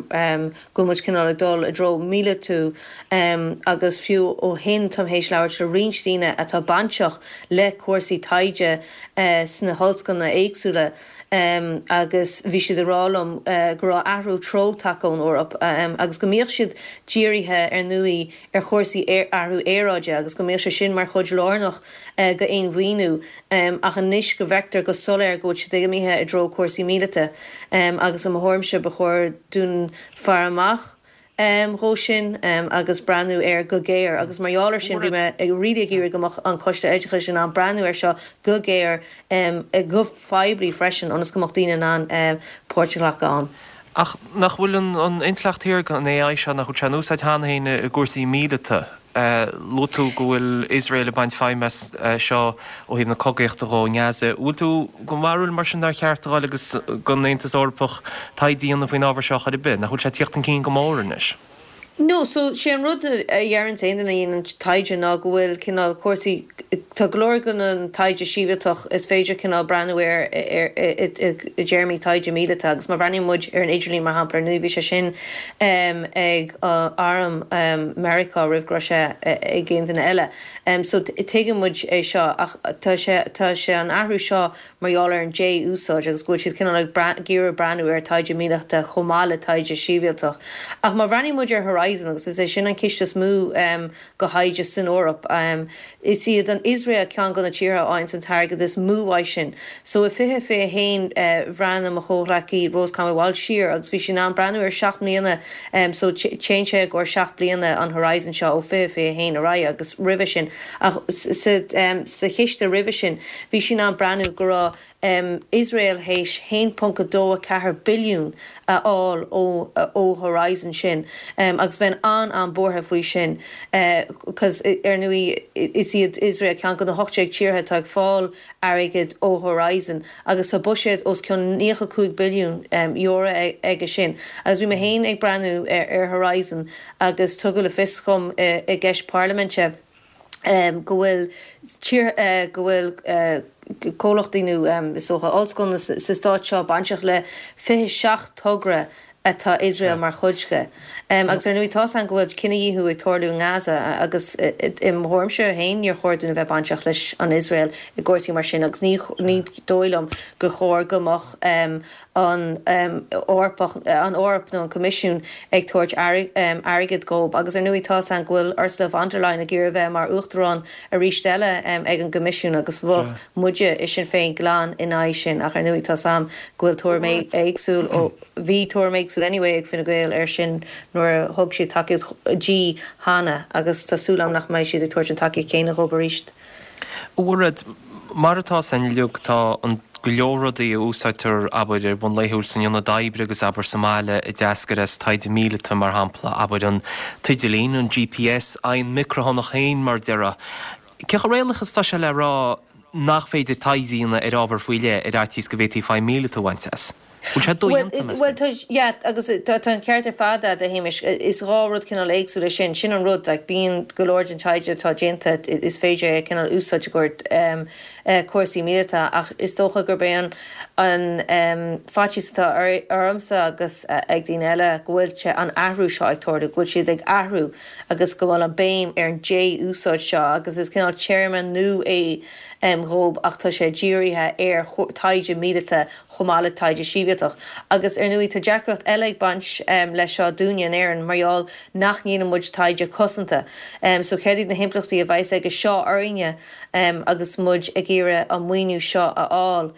go bhfuil muid cineál ag dul i dtreo míleatú agus fiú ó shin táim théis labhairt le roinnt daoine atá bainteach le cúrsaí taighde sna hollscoileanna éagsúla agus bhí siad ag rá liom go raibh athrú treo tagtha ón Eoraip agus go mbíodh siad dírithe ar ndóigh ar chúrsaí athrú aeráide agus go mbíodh sé sin mar chuid lárnach d'aon mhaoiniú ach anois go bhfeictear go soiléir go bhfuil siad imithe i dtreo cúrsaí míleata agus i mo thuairimse ba chóir dúinn faire amach dhó sin agus breathnú air go géar agus mar gheall air sin bhí mé ag really ag iarraidh go mbeadh an Coiste Oideachais in ann breathnú air seo go géar go poiblí freisin ionas go mbeadh daoine in ann páirt a ghlacadh ann. Ach nach bhfuil an intleacht shaorga, an AI seo, nach bhfuil sé in úsáid cheana féin i gcúrsaí míleata? Luaigh tú go bhfuil Iosrael ag baint feidhm as seo ó thaobh na cogaíochta dhó i nGaza. Bhfuil tú den bharúil mar sin nár cheart a dhul agus don Aontas Eorpach taighde a dhéanamh faoin ábhar seo chor ar bith? Nach bhfuil sé ag tíocht chun cinn go mór anois? No, so sé an rud a dheireanns aon duine a dhéanann taighde ná go bhfuil cineál cúrsaí, tá go leor den an taighde sibhialtach is féidir cineál breathnú air i dtéarmaí taighde míleata agus má bhreathnaíonn muid ar an idirlíon mar shampla ar ndóigh bhí sé sin ag arm Meiriceá roimh go raibh sé ag aon duine eile. So tuigeann muid é seo ach tá sé tá sé an athrú seo mar gheall ar an dé-úsáid agus go bhfuil siad cineál ag iarraidh breathnú ar taighde míleata chomh maith le taighde sibhialtach. Ach má bhreathnaíonn muid ar Horizon, agus is é sin an ciste is mó do thaighde san Eoraip, is iad an Iosrael ceann de na tíortha a fhaigheanns an t-airgead is mó uaidh sin. So i fiche fiche a haon bhreathnaigh mo chomhghleacaí Rose Conway Walsh siar agus bhí sí in ann breathnú ar seacht mbliana, so téann sé i gcomhair seacht bliana an Horizon seo ó fiche fiche a haon ar aghaidh agus roimhe sin. Ach sa chiste roimhe sin bhí sí in ann breathnú go raibh Iosrael théis haon ponc a dó a ceathair billiún a fháil ó Horizon sin agus bheinn an-an-buartha faoi sin cos ar ndóigh is iad Iosrael ceann de na hocht déag tíortha atá ag fáil airgead ó Horizon agus tá buiséad os cionn naocha cúig billiún euro aige sin agus bhí mé féin ag breathnú ar Horizon agus tugadh le fios dhom i gceist parlaiminte go bhfuil tír go bhfuil comhlachtaí nó is dócha ollscoileanna sa stát seo bainteach le fiche seacht togra atá Iosrael mar chuid de. Agus ar ndóigh tá 's againn go bhfuil cinedhíothú ag tarlú i nGaza agus i mo thuairimse féin níor chóir dúinn a bheith bainteach leis an Iosrael i gcúrsaí mar sin agus ní ní dóigh liom gur chóir go mbeadh an Eorpach, an Eoraip nó an Coimisiún ag tabhairt airgead dhóibh. Agus ar ndóigh tá 's againn go bhfuil Ursula von der Leyen ag iarraidh a bheith mar Uachtarán arís eile ag an gCoimisiún agus bheadh muide i Sinn Féin glan in aghaidh sin. Ach ar ndóigh tá 's agam go bhfuil tuairim éagsúil ó, bhí tuairim éagsúil anyway ag Fine Gael air sin nuair a thug siad tacaíocht di cheana agus tá súil agam nach mbeidh siad ag tabhairt an tacaíocht chéanna dhóibh arís. A Mhairéad, mar atá 's againn uilig, tá an go leor rudaí a úsáidtear, abair, ar bhonn laethúil san ionad oibre agus, abair, sa mbaile a d'eascair as taighde míleata, mar shampla, abair, an t-idirlíon, an GPS, an micreathonnach féin, mar a déarfá. Cé chomh réalaíoch is atá sé le rá nach féidir taighde a dhéanamh ar ábhar faoi leith ar fhaitíos go bhféadfaí feidhm mhíleata a bhaint as? Bhfuil sé dodhéanta, meas Bhuel, tá, yeah, agus tá an ceart ar fad agat, a Shéamais. Is dhá rud cineál éagsúil é sin. Sin an rud, like, bíonn go leor den taighde atá déanta, is féidir é a cineál úsáid i gcomhair cúrsaí míleata ach is dócha gurb é an an faitíos atá ormsa agus ag daoine eile go bhfuil sé an athrú seo ag tarlú, go bhfuil siad ag athrú agus go bhfuil an béim ar an dé-úsáid seo agus is cineál téarma nua é dhóibh ach tá sé dírithe ar taighde míleata chomh maith le taighde sibhialtach. Agus ar ndóigh tá deacracht eile ag baint leis seo dúinne in Éirinn mar gheall nach ndéanann muid taighde cosanta. So céard iad na himpleachtaí a bheas aige seo orainne agus muid ag iarraidh an maoiniú seo a fháil?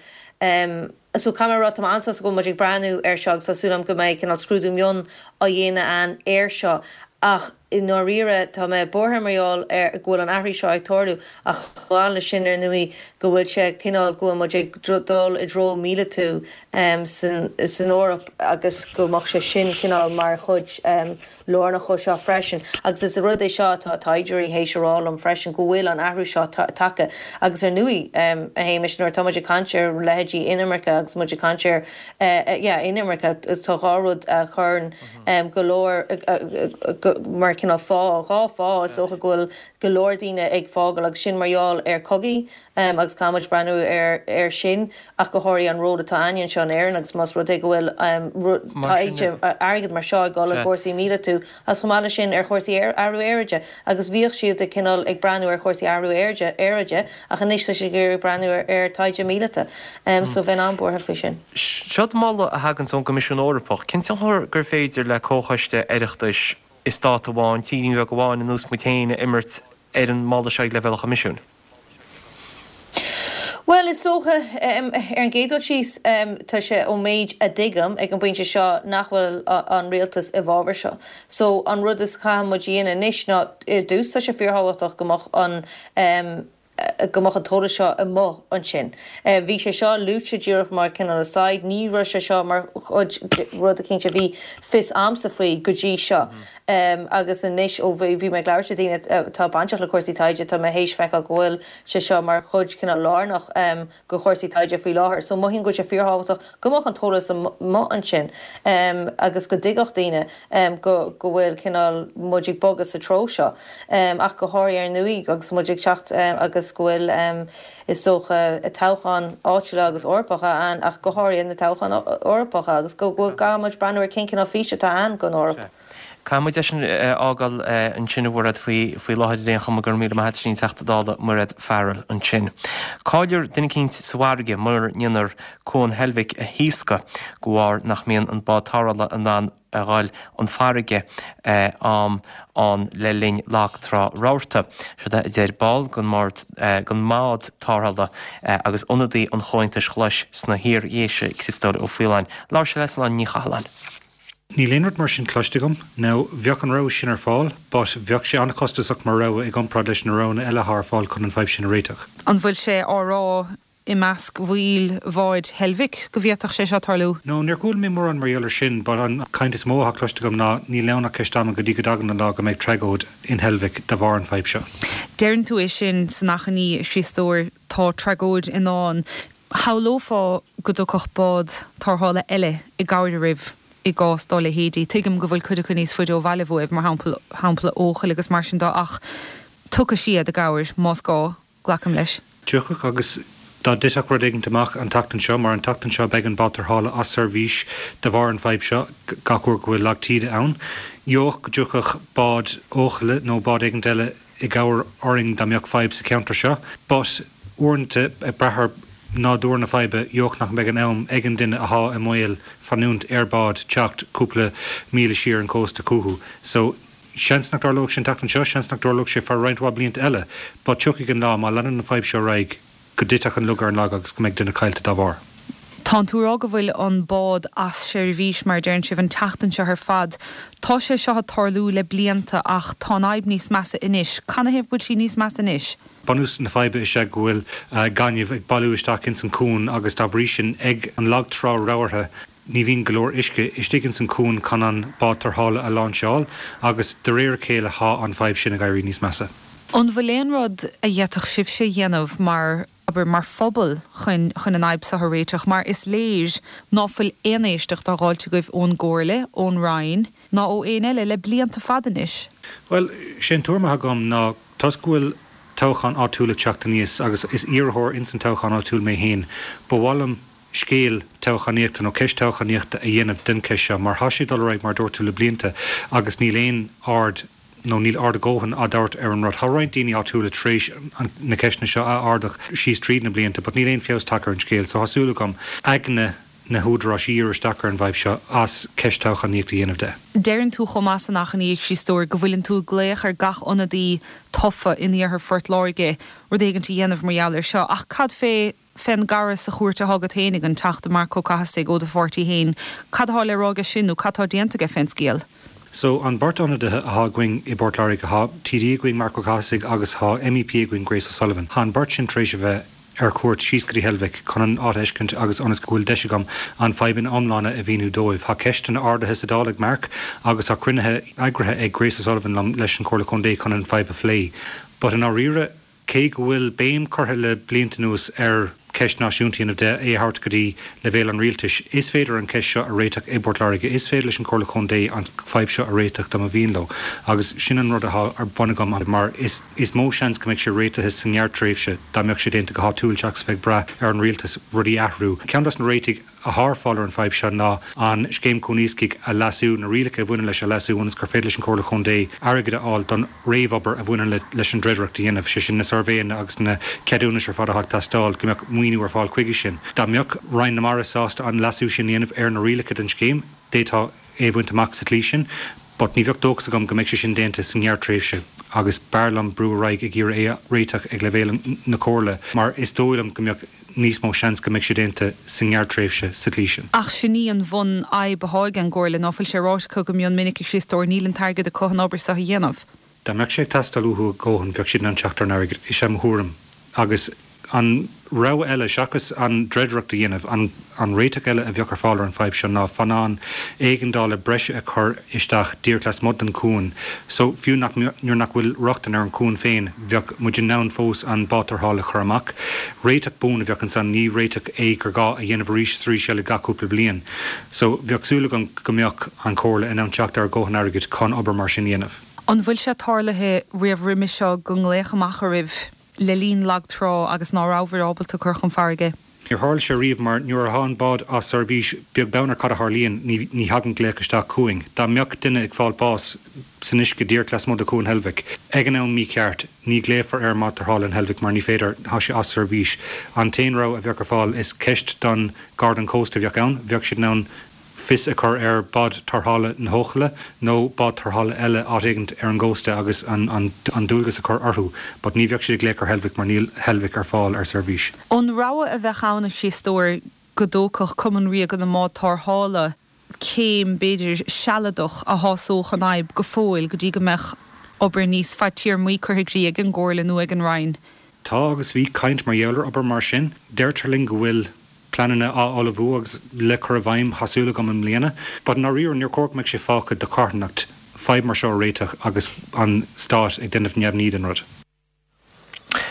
So caithfidh mé a rá tá mé an-sásta go bhfuil muid ag breathnú air seo agus tá súil agam go mbeidh cineál scrúdú mion á dhéanamh ann air seo ach i ndáiríre tá mé buartha mar gheall ar go bhfuil an athrú seo ag tarlú ach chomh maith leis sin ar ndóigh go bhfuil sé cineál go bhfuil muid ag dul i dtreo míleatú san san Eoraip agus go mbeadh sé sin cineál mar chuid lárnach dhó seo freisin. Agus is rud é seo atá taighdeoirí théis a rá liom freisin go bhfuil an athrú seo tagtha agus ar ndóigh a Shéamais nuair atá muid ag caint ar leithéidí inimirce agus muid ag caint ar yeah inimirce tá dhá rud a chuireann go leor mar cineál fáth, dhá fáth is dócha go bhfuil go leor daoine ag fágáil agus sin mar gheall ar cogaí agus caithfidh muid breathnú ar ar sin ach go háirithe an ról atá againn anseo in Éirinn agus más rud é go bhfuil taighde airgead mar seo ag dul i gcúrsaí míleata agus chomh maith leis sin ar chúrsaí athrú aeráide agus bhíodh siad ag cineál ag breathnú ar chúrsaí athrú aeráide ach anois tá siad ag iarraidh breathnú ar taighde míleata so bheinn an-bhuartha faoi sin. Seod moladh a thaganns ón gCoimisiún Eorpach. Cén tionchar gur féidir le comhchoiste Oireachtais i stát amháin, tírín bheag amháin ar nós muid féin a imirt ar an moladh seo ag leibhéal an Choimisiúin? Bhuel, is dócha, ar an gcéad dul síos, tá sé ón méid a dtuigim ag an bpointe seo nach bhfuil an rialtas i bhfabhar seo. So, an rud is caithfidh muid a dhéanamh anois ná, ar dtús, tá sé fíorthábhachtach go mbeadh an, go mbeadh an t-eolas seo amuigh ansin. Bhí sé seo luaite díreach mar cineál aside, ní raibh sé seo mar chuid de rud eicínt a bhí fios a'msa faoi go dtí seo. Agus anois ó bhí mé ag labhairt le daoine atá bainteach le cúrsaí taighde, tá mé théis feiceáil go bhfuil sé seo mar chuid cineál lárnach de chúrsaí taighde faoi láthair. So mothaím go bhfuil sé fíorthábhachtach go mbeadh an t-eolas amuigh ansin agus go dtuigfeadh daoine go go bhfuil cineál muid ag bogadh sa treo seo. Ach go háirithe ar ndóigh agus muid ag teacht agus go bhfuil is dócha toghcháin áitiúla agus Eorpacha ann ach go háirithe na toghcháin Eorpacha agus go gcaithfidh muid breathnú ar cén cineál fís atá ann don Eoraip. Caithfidh muid é sin a fhágáil ansin a Mhairéad faoi faoi láthair ar aon chuma. Go raibh míle maith agat, sin í an Teachta Dála Mairéad Farrell ansin. Caillfear duine eicínt sa bhfarraige mura ndéanfar Cuan Heilbhic a thaoscadh de bharr nach mbíonn an bád tarrthála in ann a dhul chun farraige am ann le linn lag trá rabharta. Siod é a deir ball den mbád tarrthála agus ionadaí an Chomhaontais Ghlais sna hIar-Dhéise, Criostóir Ó Faoláin. Labhair sé le Sláine Ní Chathalláin. Níl aon rud mar sin cloiste agam. Now, bheadh an rogha sin ar fáil, but bheadh sé an-chostasach mar rogha i gcomparáid leis na roghanna eile atá ar fáil chun an fadhb sin a réiteach. An bhfuil sé á rá i measc bhaill bháid Heilbhic go bhféadfadh sé seo tarlú? No, níor chuala mé mórán mar gheall air sin, but an chaint is mó atá cloiste agam ná níl ann ach ceist ama go dtí go dtagann an lá go mbeidh tragóid in Heilbhic de bharr an fadhb seo. Deireann tú é sin san achainí, a Chriostóir, tá tragóid i ndán. Shamhlófá go dtiocfadh bád tarrthála eile i gcabhair oraibh i gcás dá leithéidí. Tuigim go bhfuil cuid acu níos faide ó bhaile uaibh, mar shampla shampla Eochaill agus mar sin de, ach tiocfaidh siad i gcabhair más gá, glacaim leis. Tiocfaidh, agus dá dtitfeadh rud éigint amach an tseachtain seo, mar an tseachtain seo beidh an bád tarrthála as seirbhís de bharr an fadhb seo gach uair go bhfuil lag taoide ann, gheobhadh go dtiocfadh bád Eochaille nó bád éigint eile i gcabhair orainn dá mbeadh fadhb sa cheantar seo. But uaireanta, ag brath ar nádúr na faidhbe, gheobhadh nach mbeidh an am ag an duine athá i mbaol fanúint ar bád teacht cúpla míle siar an cósta chucu. So, seans nach dtarlóidh sé an tseachtain seo, seans nach dtarlóidh sé feadh roinnt mhaith blianta eile, but tiocfaidh an lá, má leanann an fadhb seo ar aghaidh, go dtitfeadh an lug ar an lag agus go mbeidh duine caillte dá bharr. Tánn tú ag rá go bhfuil an bád as seirbhís, mar a deireann sibh, an tseachtain seo ar fad. Tá sé seo ag tarlú le blianta ach tá an fhadhb níos measa anois. Canathaobh go bhfuil sí níos measa anois? Bunús na faidhbe is ea go bhfuil gaineamh ag bailiú isteach ins an cuan agus dá bhrí sin ag an lag trá rabhartha ní bhíonn go leor uisce istigh ins an cuan chun an bád tarrthála a láinseáil agus de réir a chéile thá an fadhb sin ag éirí níos measa. An bhfuil aon rud a d'fhéadfadh sibhse a dhéanamh mar, abair, mar phobal chun, chun an fhadhb seo a réiteach? Mar is léir ná fuil aon éisteacht á dh'fháilt agaibh ón gComhairle, ón Roinn, ná ó éinne eile le blianta fada anois. Bhuel, sé an tuairim atá agam ná toisc go bhfuil toghchán áitiúil ag teacht aníos agus is iarrthóir ins an toghchán áitiúil mé féin, ba mhaith liom scéal toghchánaíochta nó ceist toghchánaíochta a dhéanamh den cheist seo mar thá sé ag dul ar aghaidh mar a dúirt tú le blianta agus níl aon aird nó níl aird a dhóthain á dtabhairt ar an rud. Thá roinnt daoine áitiúla tar éis na ceisteanna seo a ardach síos tríd na blianta but níl aon feabhas tagtha ar an scéal so thá súil agam aigne na húdaráis a dhíriú isteach ar an bhfadhb seo as ceist toghchánaíochta a dhéanamh de. Deireann tú chomh maith san achainí, a Chriostóir, go bhfuileann tú ag glaoch ar gach ionadaí tofa in iarthar Phort Láirge rud éigint a dhéanamh mar gheall air seo ach cad fé fén gcara sa chúirt atá agat fhéinig, an Teachta Marc Ó Cathasaigh ó do pháirtí fhéin, cad atá le rá aige sin nó cad tá déanta aige fén scéal? So, an beirt ionadaithe athá againn i bPort Láirge, thá TD againn, Marc Ó Cathasaigh, agus thá MEP againn, Grace O'Sullivan. Thá an beirt sin tar éis a bheith ar cuairt síos go dtí Heilbhic chun an áit a fheiscint agus ionas go bhfuil deis agam an fadhb ina iomláine a mhíniú dóibh. Thá ceisteanna ardaithe sa Dáil ag Marc agus thá cruinnithe eagraithe ag Grace O'Sullivan liom leis an Chomhairle Contae chun an fadhb a phlé. But i ndáiríre, Cé go bhfuil béim curtha le blianta anuas ar ceist náisiúnta a dhéanamh de, é a thabhairt go dtí leibhéal an rialtais. Is féidir an cheist seo a réiteach i bPort Láirge, is féidir leis an Chomhairle Contae an fadhb seo a réiteach dá mba mhian leo agus sin an rud atá ar bun agam mar is is mó seans go mbeidh sé réitithe sa ngearrtréimhse dá mbeadh sé déanta go háitiúil seachas bheith ag brath ar an rialtas rudaí a athrú. Ceann dos na réitigh atá ar fáil ar an bhfadhb seo ná an Scéim Cuan Iascaigh a leasú, na rialacha a bhaineann leis a leasú ionas gur féidir leis an Chomhairle Chontae airgead a fháil don réamhobair a bhaineann leis an dreidireacht a dhéanamh, sé sin na suirbhéanna agus na ceadúnais ar fad atá ag teastáil, go mbeadh maoiniú ar fáil chuige sin. Dá mbeadh Roinn na Mara sásta an leasú sin a dhéanamh ar na rialacha den scéim, d'fhéadfá é a bhaint amach sa tslí sin. But ní bheadh dóchas agam go mbeidh sé sin déanta sa ngearrtréimhse agus b'fhearr liom brú ar aghaidh ag iarraidh é a réiteach ag leibhéal na Comhairle mar is dóigh liom go mbeadh níos mó seans go mbeidh sé déanta sa ngearrtréimhse sa tslí sin. Ach sin í an bhunfhadhb atá ag an gComhairle, ná fuil sé ráite acu go mion minic, a Chriostóir, níl an t-airgead acu an obair seo a dhéanamh. Dá mbeadh sé ag teastáil uathu a dhóthain bheadh siad in ann teacht ar an airgead, is é mo thuairim. Agus an rogha eile, seachas an dreidireacht a dhéanamh, an an réiteach eile a bheadh ar fáil ar an bhfadhb seo ná feannán éigeandála breise a chur isteach díreach lasmuigh den chuan. So, fiú nach nuair nach bhfuil rochtain ar an chuan féin, bheadh muid in ann fós an bád tarrthála a chur amach. Réiteach buan a bheadh ansan, ní réiteach é gur gá a dhéanamh arís is arís eile gach cúpla bliain. So, bheadh súil agam go mbeadh an Chomhairle in ann teacht ar dhóthain airgid chun obair mar sin a dhéanamh. An bhfuil sé tarlaithe riamh roimhe seo go nglaoch amach oraibh le linn lag trá agus ná rabhabhair ábalta cur chun farraige? Níor tharla sé riamh mar nuair atá an bád as seirbhís, beag beann ar cad a tharlaíonn, ní ní thagann glaoch isteach chugainn. Dá mbeadh duine ag fáil bás san uisce díreach lasmuigh de Chuan Heilbhic, ag an am mícheart, ní ghlaofar ar an mbád tarrthála in Heilbhic mar ní féidir, tá sé as seirbhís. An t-aon rogha a bheadh ar fáil, is ceist don Gharda an Chósta a bheadh ann, bheadh siad in ann fios a chur ar bád tarrthála na hEochaille nó bád tarrthála eile áit éigint ar an gcósta agus an an dualgas a chur orthu but ní bheadh siad ag glaoch ar Heilbhic mar níl Heilbhic ar fáil ar seirbhís. An rogha a bheadh ann, a Chriostóir, go dtógfadh Cumann Ríoga na mBád Tarrthála céim, b'fhéidir, sealadach a shásódh an fhadhb go fóill go dtí go mbeadh obair níos fadtéarmaí curtha i gcrích ag an gComhairle nó ag an Roinn. Tá agus bhí caint mar gheall ar obair mar sin. Deirtear linn go bhfuil pleananna á ullmhú agus le cur i bhfeidhm, tá súil agam, i mbliana. But i ndáiríre, níor chóir go mbeadh sé fágtha do charthanacht fadhb mar seo a réiteach agus an Stát ag déanamh neamhní den rud.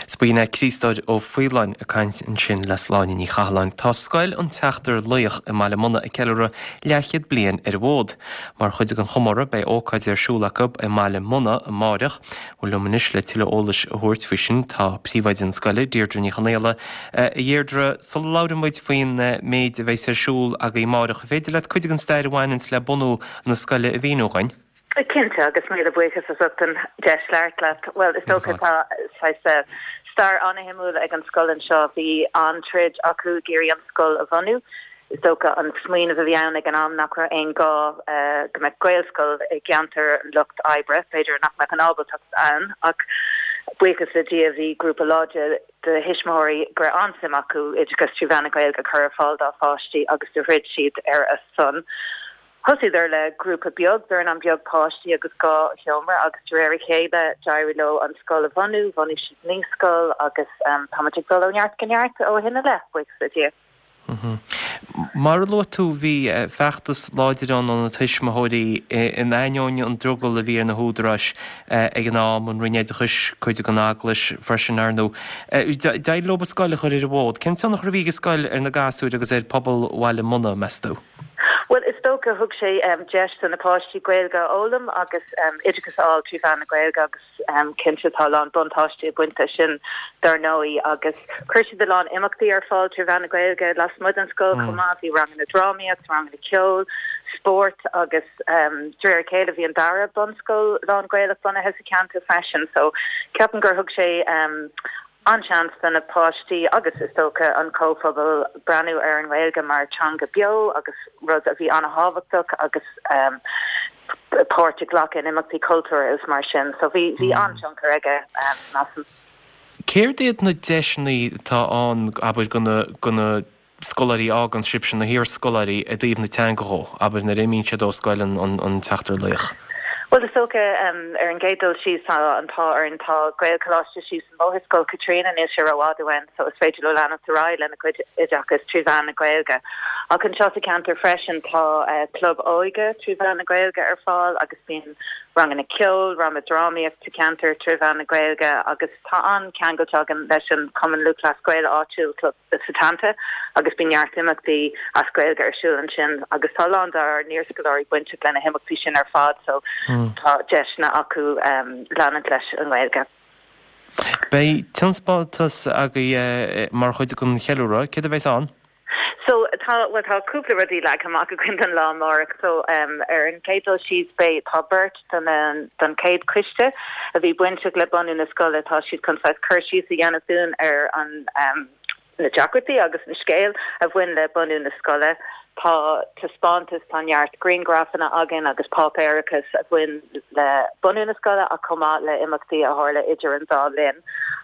'S b'in é Críostóir Ó Faoláin ag caint ansin le Sláine Ní Chathalláin. Tá Scoil an tSeachtar Laoch i mBaile Munna ag ceiliúradh leathchéad bliain ar an bhfód. Mar chuid den chomóradh beidh ócáid ar siúl acu i mBaile Munna amáireach. Bhuel liom anois le tuilleadh eolais a thabhairt faoi sin tá príomhoide na scoile, Deirdre Ní Chonaola. A Dheirdre, sula labhraíonn muid faoin méid a bheas ar siúl agaibh amáireach, an féidir leat cuid den stair a bhaineanns le bunú na scoile a mhíniú dhuinn? Cinnte, agus míle buíochas as ucht an deis labhairt leat. Bhuel, is dócha tá saghas stair an-shuimiúil ag an scoil anseo. Bhí an-troid acu ag iarraidh an scoil a bhunú. Is dócha an smaoineamh a bhí ann ag an am nach raibh aon gá go mbeadh Gaelscoil i gceantar an lucht oibre, b'fhéidir nach mbeadh an ábaltacht ann, ach buíochas le Dia bhí grúpa láidir de thuismitheoirí go raibh an-suim acu oideachas trí mheán na Gaeilge a chur ar fáil dá bpáistí agus do throid siad ar a son. Thosaíodar le grúpa beag, dornán beag páistí agus dhá sheomra agus de réir a chéile d'éirigh leo an scoil a bhunú, bhunaigh siad naíscoil agus táimid ag dul ó neart go neart ó shin i leith, buíochas le Dia. Mar a luaigh tú, bhí feachtas láidir ann ó na tuismitheoirí in ainneoin an drogall a bhí ar na húdaráis ag an am, an Roinn Oideachais, cuid den Eaglais freisin, ar ndóigh. D'éirigh leo an scoil a chur ar an bhfód. Cén tionchar a bhí ag an scoil ar na gasúir agus ar phobal Bhaile Munna, meas tú? Bhuel, is dócha, thug sé deis do na páistí Gaeilge a fhoghlaim agus oideachas a fháil trí mheán na Gaeilge agus cinnte tá a lán buntáistí ag baint leis sin dar ndóigh agus chuir siad a lán imeachtaí ar fáil trí mheán na Gaeilge lasmuigh den scoil chomh maith, bhí ranganna drámaíocht, ranganna ceoil, spóirt agus de réir a chéile bhí an dara bunscoil lán-Ghaelach bunaithe sa cheantar freisin so ceapaim gur thug sé an-seans do na páistí agus is dócha an comhphobal breathnú ar an nGaeilge mar teanga beo agus rud a bhí an-thábhachtach agus páirt a ghlacadh in imeachtaí cultúrtha is mar sin. So bhí bhí an-tionchar aige, measaim. Céard iad na deiseanna atá ann, abair, do na do na scoláirí a fhágann sibhse, na hiarscoláirí, i dtaobh na teanga dhó, abair, nuair a imíonn siad ó Scoil an Tseachtar Laoch? Bhuel is dócha ar an gcéad dul síos tá an t-ádh orainn tá Gaelcholáiste síos an bóthar, Scoil Chaitríona, níl sé rófhada uainn so is féidir leo leanacht ar aghaidh lena gcuid oideachais trí mheán na Gaeilge. Ach anseo sa cheantar freisin tá club óige trí mheán na Gaeilge ar fáil agus bíonn ranganna ceoil, ranganna drámaíocht sa cheantar trí mheán na Gaeilge agus tá an-cheangal againn leis an Cumann Lúthchleas Gael áitiúil Club Setanta agus bíonn neart imeachtaí as Gaeilge ar siúl ansin agus tá a lán dár n-iarscoláirí bainteach lena himeachtaí sin ar fad so tá deiseanna acu leanúint leis an nGaeilge. Beidh taispeántas agaibh mar chuid den cheiliúradh, céard a bheas ann? So tá well tá cúpla rudaí leagtha amach againn don lá amárach so um, ar an chéad dul síos beidh tá beirt don um, don chéad choiste a bhí bainteach le bunú na scoile tá siad chun saghas cur síos a dhéanamh dúinn ar an um, na deacrachtaí agus an scéal a bhain le bunú na scoile. Tá taispeántas tá neart grianghrafanna againn agus páipéarachas a bhain le bunú na scoile ach chomh maith le imeachtaí a tharla idir an dá linn.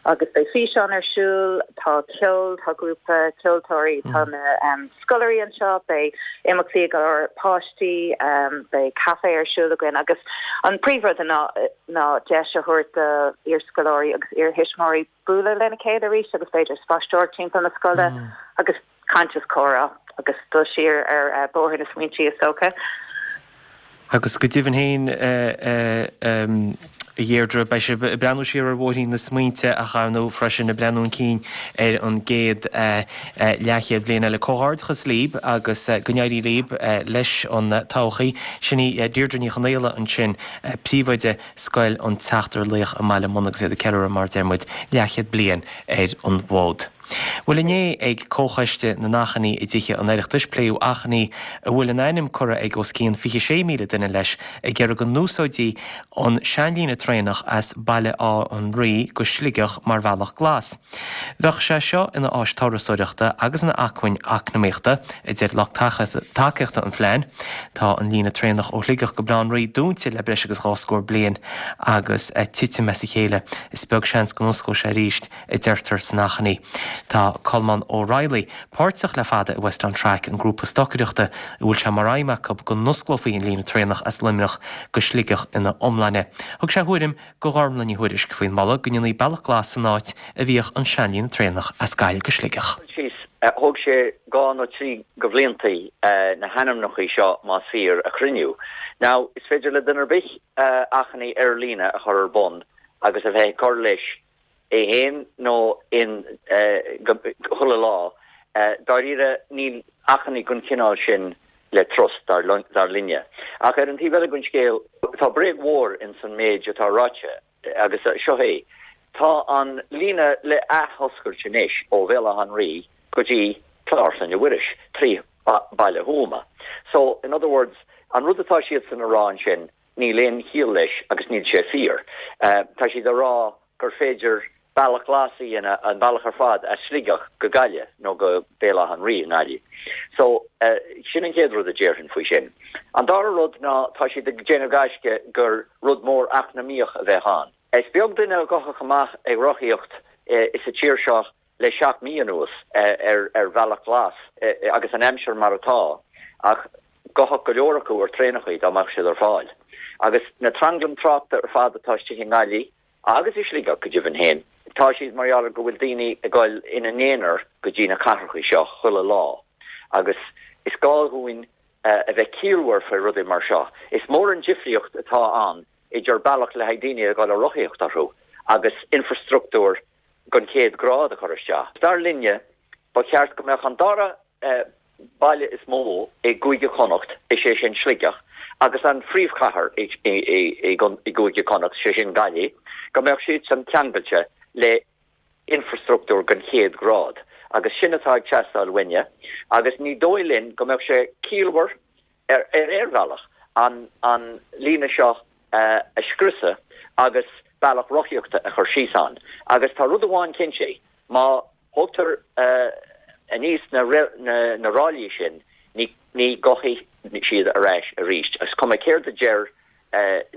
Agus beidh físeán ar siúl, tá ceol, tá grúpa ceoltóirí, tá na um, scoláirí anseo, beidh imeachtaí ag páistí, um, beidh caife ar siúl againn agus an príomhrud ná ná deis a thabhairt do iarscoláirí agus iarthuismitheoirí bualadh lena chéile arís agus b'fhéidir spaisteoireacht timpeall na scoile mm. agus caint is comhrá agus dul siar ar uh, bóthar na smaointe is dócha. Agus go deimhin féin a Dheirdre beidh sibh ag breathnú siar ar bhóithrín na smaointe ach ar ndóigh freisin ag breathnú chun cinn ar an gcéad leathchéad bliain eile. Comhghairdeachas libh agus go n-éirí libh leis an todhchaí. Sin í Deirdre Ní Chonaola ansin príomhoide Scoil an tSeachtar Laoch i mBaile Munna agus iad ag ceiliúradh mar deir muid leathchéad bliain ar an bhfód. Bhuel inné ag Comhchoiste na nAchainí i dTithe an Oireachtais pléadh achainí a bhfuil a n-ainm curtha ag os cionn fiche sé míle duine leis ag iarraidh go n-úsáidfí an seanlíne traenach as Baile Átha an Rí go Sligeach mar bhealach glas. Bheadh sé seo ina áis turasóireachta agus ina acmhainn eacnamaíochta, a deir lucht tacaíochta an phlean. Tá an líne traenach ó Shligeach go Baile Átha an Rí dúnta le breis agus dhá scór bliain agus titim as a chéile. Is beag seans go n-osclóidh sé arís, a deirtear san achainí. Tá Colmán O'Reilly páirteach le fada i West on Track, an grúpa stocaireachta a bhfuil sé mar aidhm acu go n-osclófaí an líne traenach as Luimneach go Sligeach ina iomláine. Thug sé a thuairim do Ghormlaith Ní Thuairisg faoin moladh go ndéanfaí bealach glas san áit a bhíodh an seanlíne traenach as Gaillimh go Sligeach. Síos, thóg sé dhá nó trí go bhliantaí na hainmneachaí seo más fíor a chruinniú. Now, is féidir le duine ar bith achainí ar líne a chur ar bun agus a bheith ag cur leis é fhéin nó in chuile lá. Dáiríre, níl achainí den chineál sin le trust, dar linne. Ach ar an taobh eile den scéal, tá bréag mhór ins an méid atá ráite, agus seo é, tá an líne le athoscailt anois ó Bhéal Átha an Rí go dtí Clár Chlainne Mhuiris, trí Baile Thuama. So, in other words, an rud atá siadsan a rá ansin, níl aon chiall leis agus níl sé fíor. Tá siad a rá gur féidir bealach glas a dhéanamh, an bealach ar fad as Sligeach go Gaillimh nó go Béal Átha an Rí i nGaillimh. So, sin an chéad rud a déarfainn faoi sin. An dara rud ná tá siad ag déanamh gaisce gur rud mór eacnamaíoch a bheadh ann. Is beag duine a ghabhfadh amach ag rothaíocht sa tír seo le seacht mí anuas ar bhealach glas agus an aimsir mar atá ach ghabhfadh go leor acu ar traenachaí dá mbeadh siad ar fáil. Agus na tranglaim tráchta ar fad atá istigh i nGaillimh agus i Sligeach go deimhin féin, tá siad mar gheall ar go bhfuil daoine ag dul ina n-aonar go dtí na cathrachaí seo chuile lá agus is gá dhúinn a bheith ciallmhar faoi rudaí mar seo. Is mór an difríocht atá ann idir bealach le haghaidh daoine a dhul ag rothaíocht orthu agus infrastruchtúr den chéad ghrád a chur isteach. Dar linne, ba cheart go mbeadh an dara baile is mó i gCúige Chonnacht, is é sin Sligeach, agus an phríomhchathair i gCúige Chonnacht, sé sin Gaillimh, go mbeadh siadsan ceangailte le infrastruchtúr den chéad ghrád. Agus sin atá ag teastáil uainne, agus ní dóigh linn go mbeadh sé ciallmhar ar aon bhealach an líne seo a scriosadh agus bealach rothaíochta a chur síos ann. Agus tá rud amháin cinnte, má thógtar aníos na na ráillí sin, ní ní ghabhfaidh siad ar ais arís. Is cuma céard a deir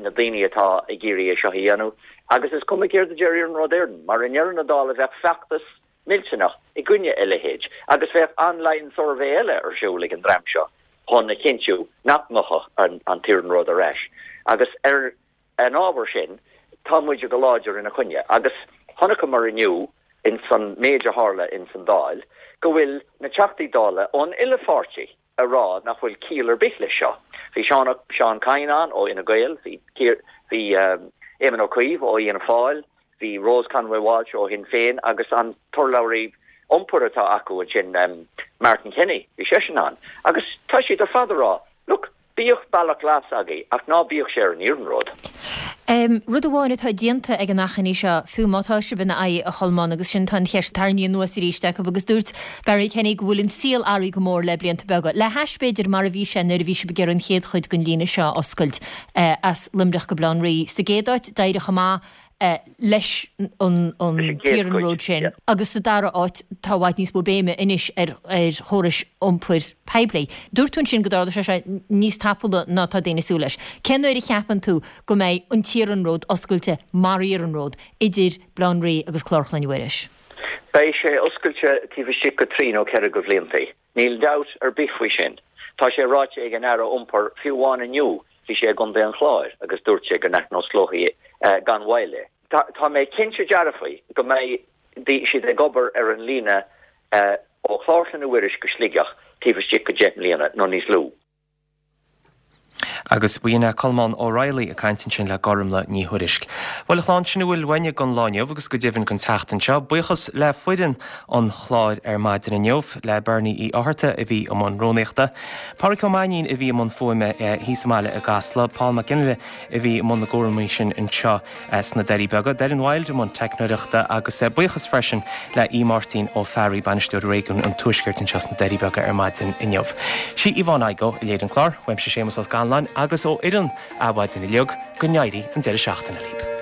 na daoine atá ag iarraidh é seo a dhéanamh, agus is cuma céard a deir Iarnród Éireann, mar i ndeireadh na dála bheadh feachtas millteanach i gcoinne a leithéid, agus bheadh online survey eile ar siúl ag an dream seo chun a chinntiú nach ngabhfadh an t-iarnród ar ais. Agus ar an ábhar sin, tá muide go láidir ina choinne. Agus chonaiceamar inniu ins an méid a tharla ins an Dáil, go bhfuil na Teachtaí Dála ón uile pháirtí a rá nach bhfuil ciall ar bith leis seo. Bhí Seán Seán Kyne ann ó Fhine Gael, bhí bhí Éamon Ó Cuív ó Fhianna Fáil, bhí Rose Conway Walsh ó Shinn Féin agus an t-urlabhraí iompair atá acu ansin, Martin Kenny, bhí seisean ann. Agus tá siad ar fad a rá, look, bíodh bealach glas agaibh ach ná bíodh sé ar an iarnród. Rud amháin atá déanta ag an achainí seo, fiú má tá sibh ina aghaidh, a Cholmáin, agus sin tá an cheist tarraingthe anuas arís acu agus dúirt Barry Kenny go bhfuil an saol athraithe go mór le blianta beaga, le hais b'fhéidir mar a bhí sé nuair a bhí sibh ag iarraidh an chéad chuid den líne seo a oscailt as Luimneach go Baile Átha an Rí. Sa gcéad áit, d'éirigh chomh maith leis an t-iarnród sin agus sa dara háit tá i bhfad níos mó béime anois ar chórais iompair poiblí. Dúirt tú ansin go dtarlódh sé seo níos tapúla ná tá daoine ag súil leis. Cén uair a cheapann tú go mbeidh an t-iarnród oscailte mar iarnród idir Baile Átha an Rí agus Clár Chlainne Mhuiris? Beidh sé oscailte taobh istigh go trí nó ceithre go bhliantaí. Níl dabht ar bith faoi sin. Tá sé ráite ag an Aire Iompair fiú amháin inniu Bhí sé i gContae an Chláir agus dúirt sé go n-athnosclófaí gan mhoill é. Tá mé cinnte dearfaí go mbeidh siad ag obair ar an líne ó Chlár Chlainne Mhuiris go Sligeach taobh istigh go deich mbliana nó níos lú. Agus b'in é Colmán Ó Raghallaigh ag caint ansin le Gormlaith Ní Thuairisg. Bhuel a chlann, sin a bhfuil uainne don lá inniu agus go deimhin don tseachtain seo. Buíochas le foireann an chláir ar maidin inniu, le Bernie Uí Fhátharta a bhí i mbun rúnaíochta, Pádraic Ó Mainnín a bhí i mbun fuaime thíos sa mbaile i gCasla, Paul Mac Fhionnghaile a bhí i mbun na gcúramaí sin anseo sna Doirí Beaga, Doireann Wilde i mbun teicneoireachta agus buíochas freisin le Aodh Máirtín Ó Fearraigh, Bainisteoir Réigiún an Tuaiscirt anseo sna Doirí Beaga ar maidin inniu. Sí Yvonne Igoe a léirigh an clár, uaimse Séamus Ó Scanláin agus ó fhoireann Adhmhaidin uilig, go n-éirí an deireadh seachtaine libh.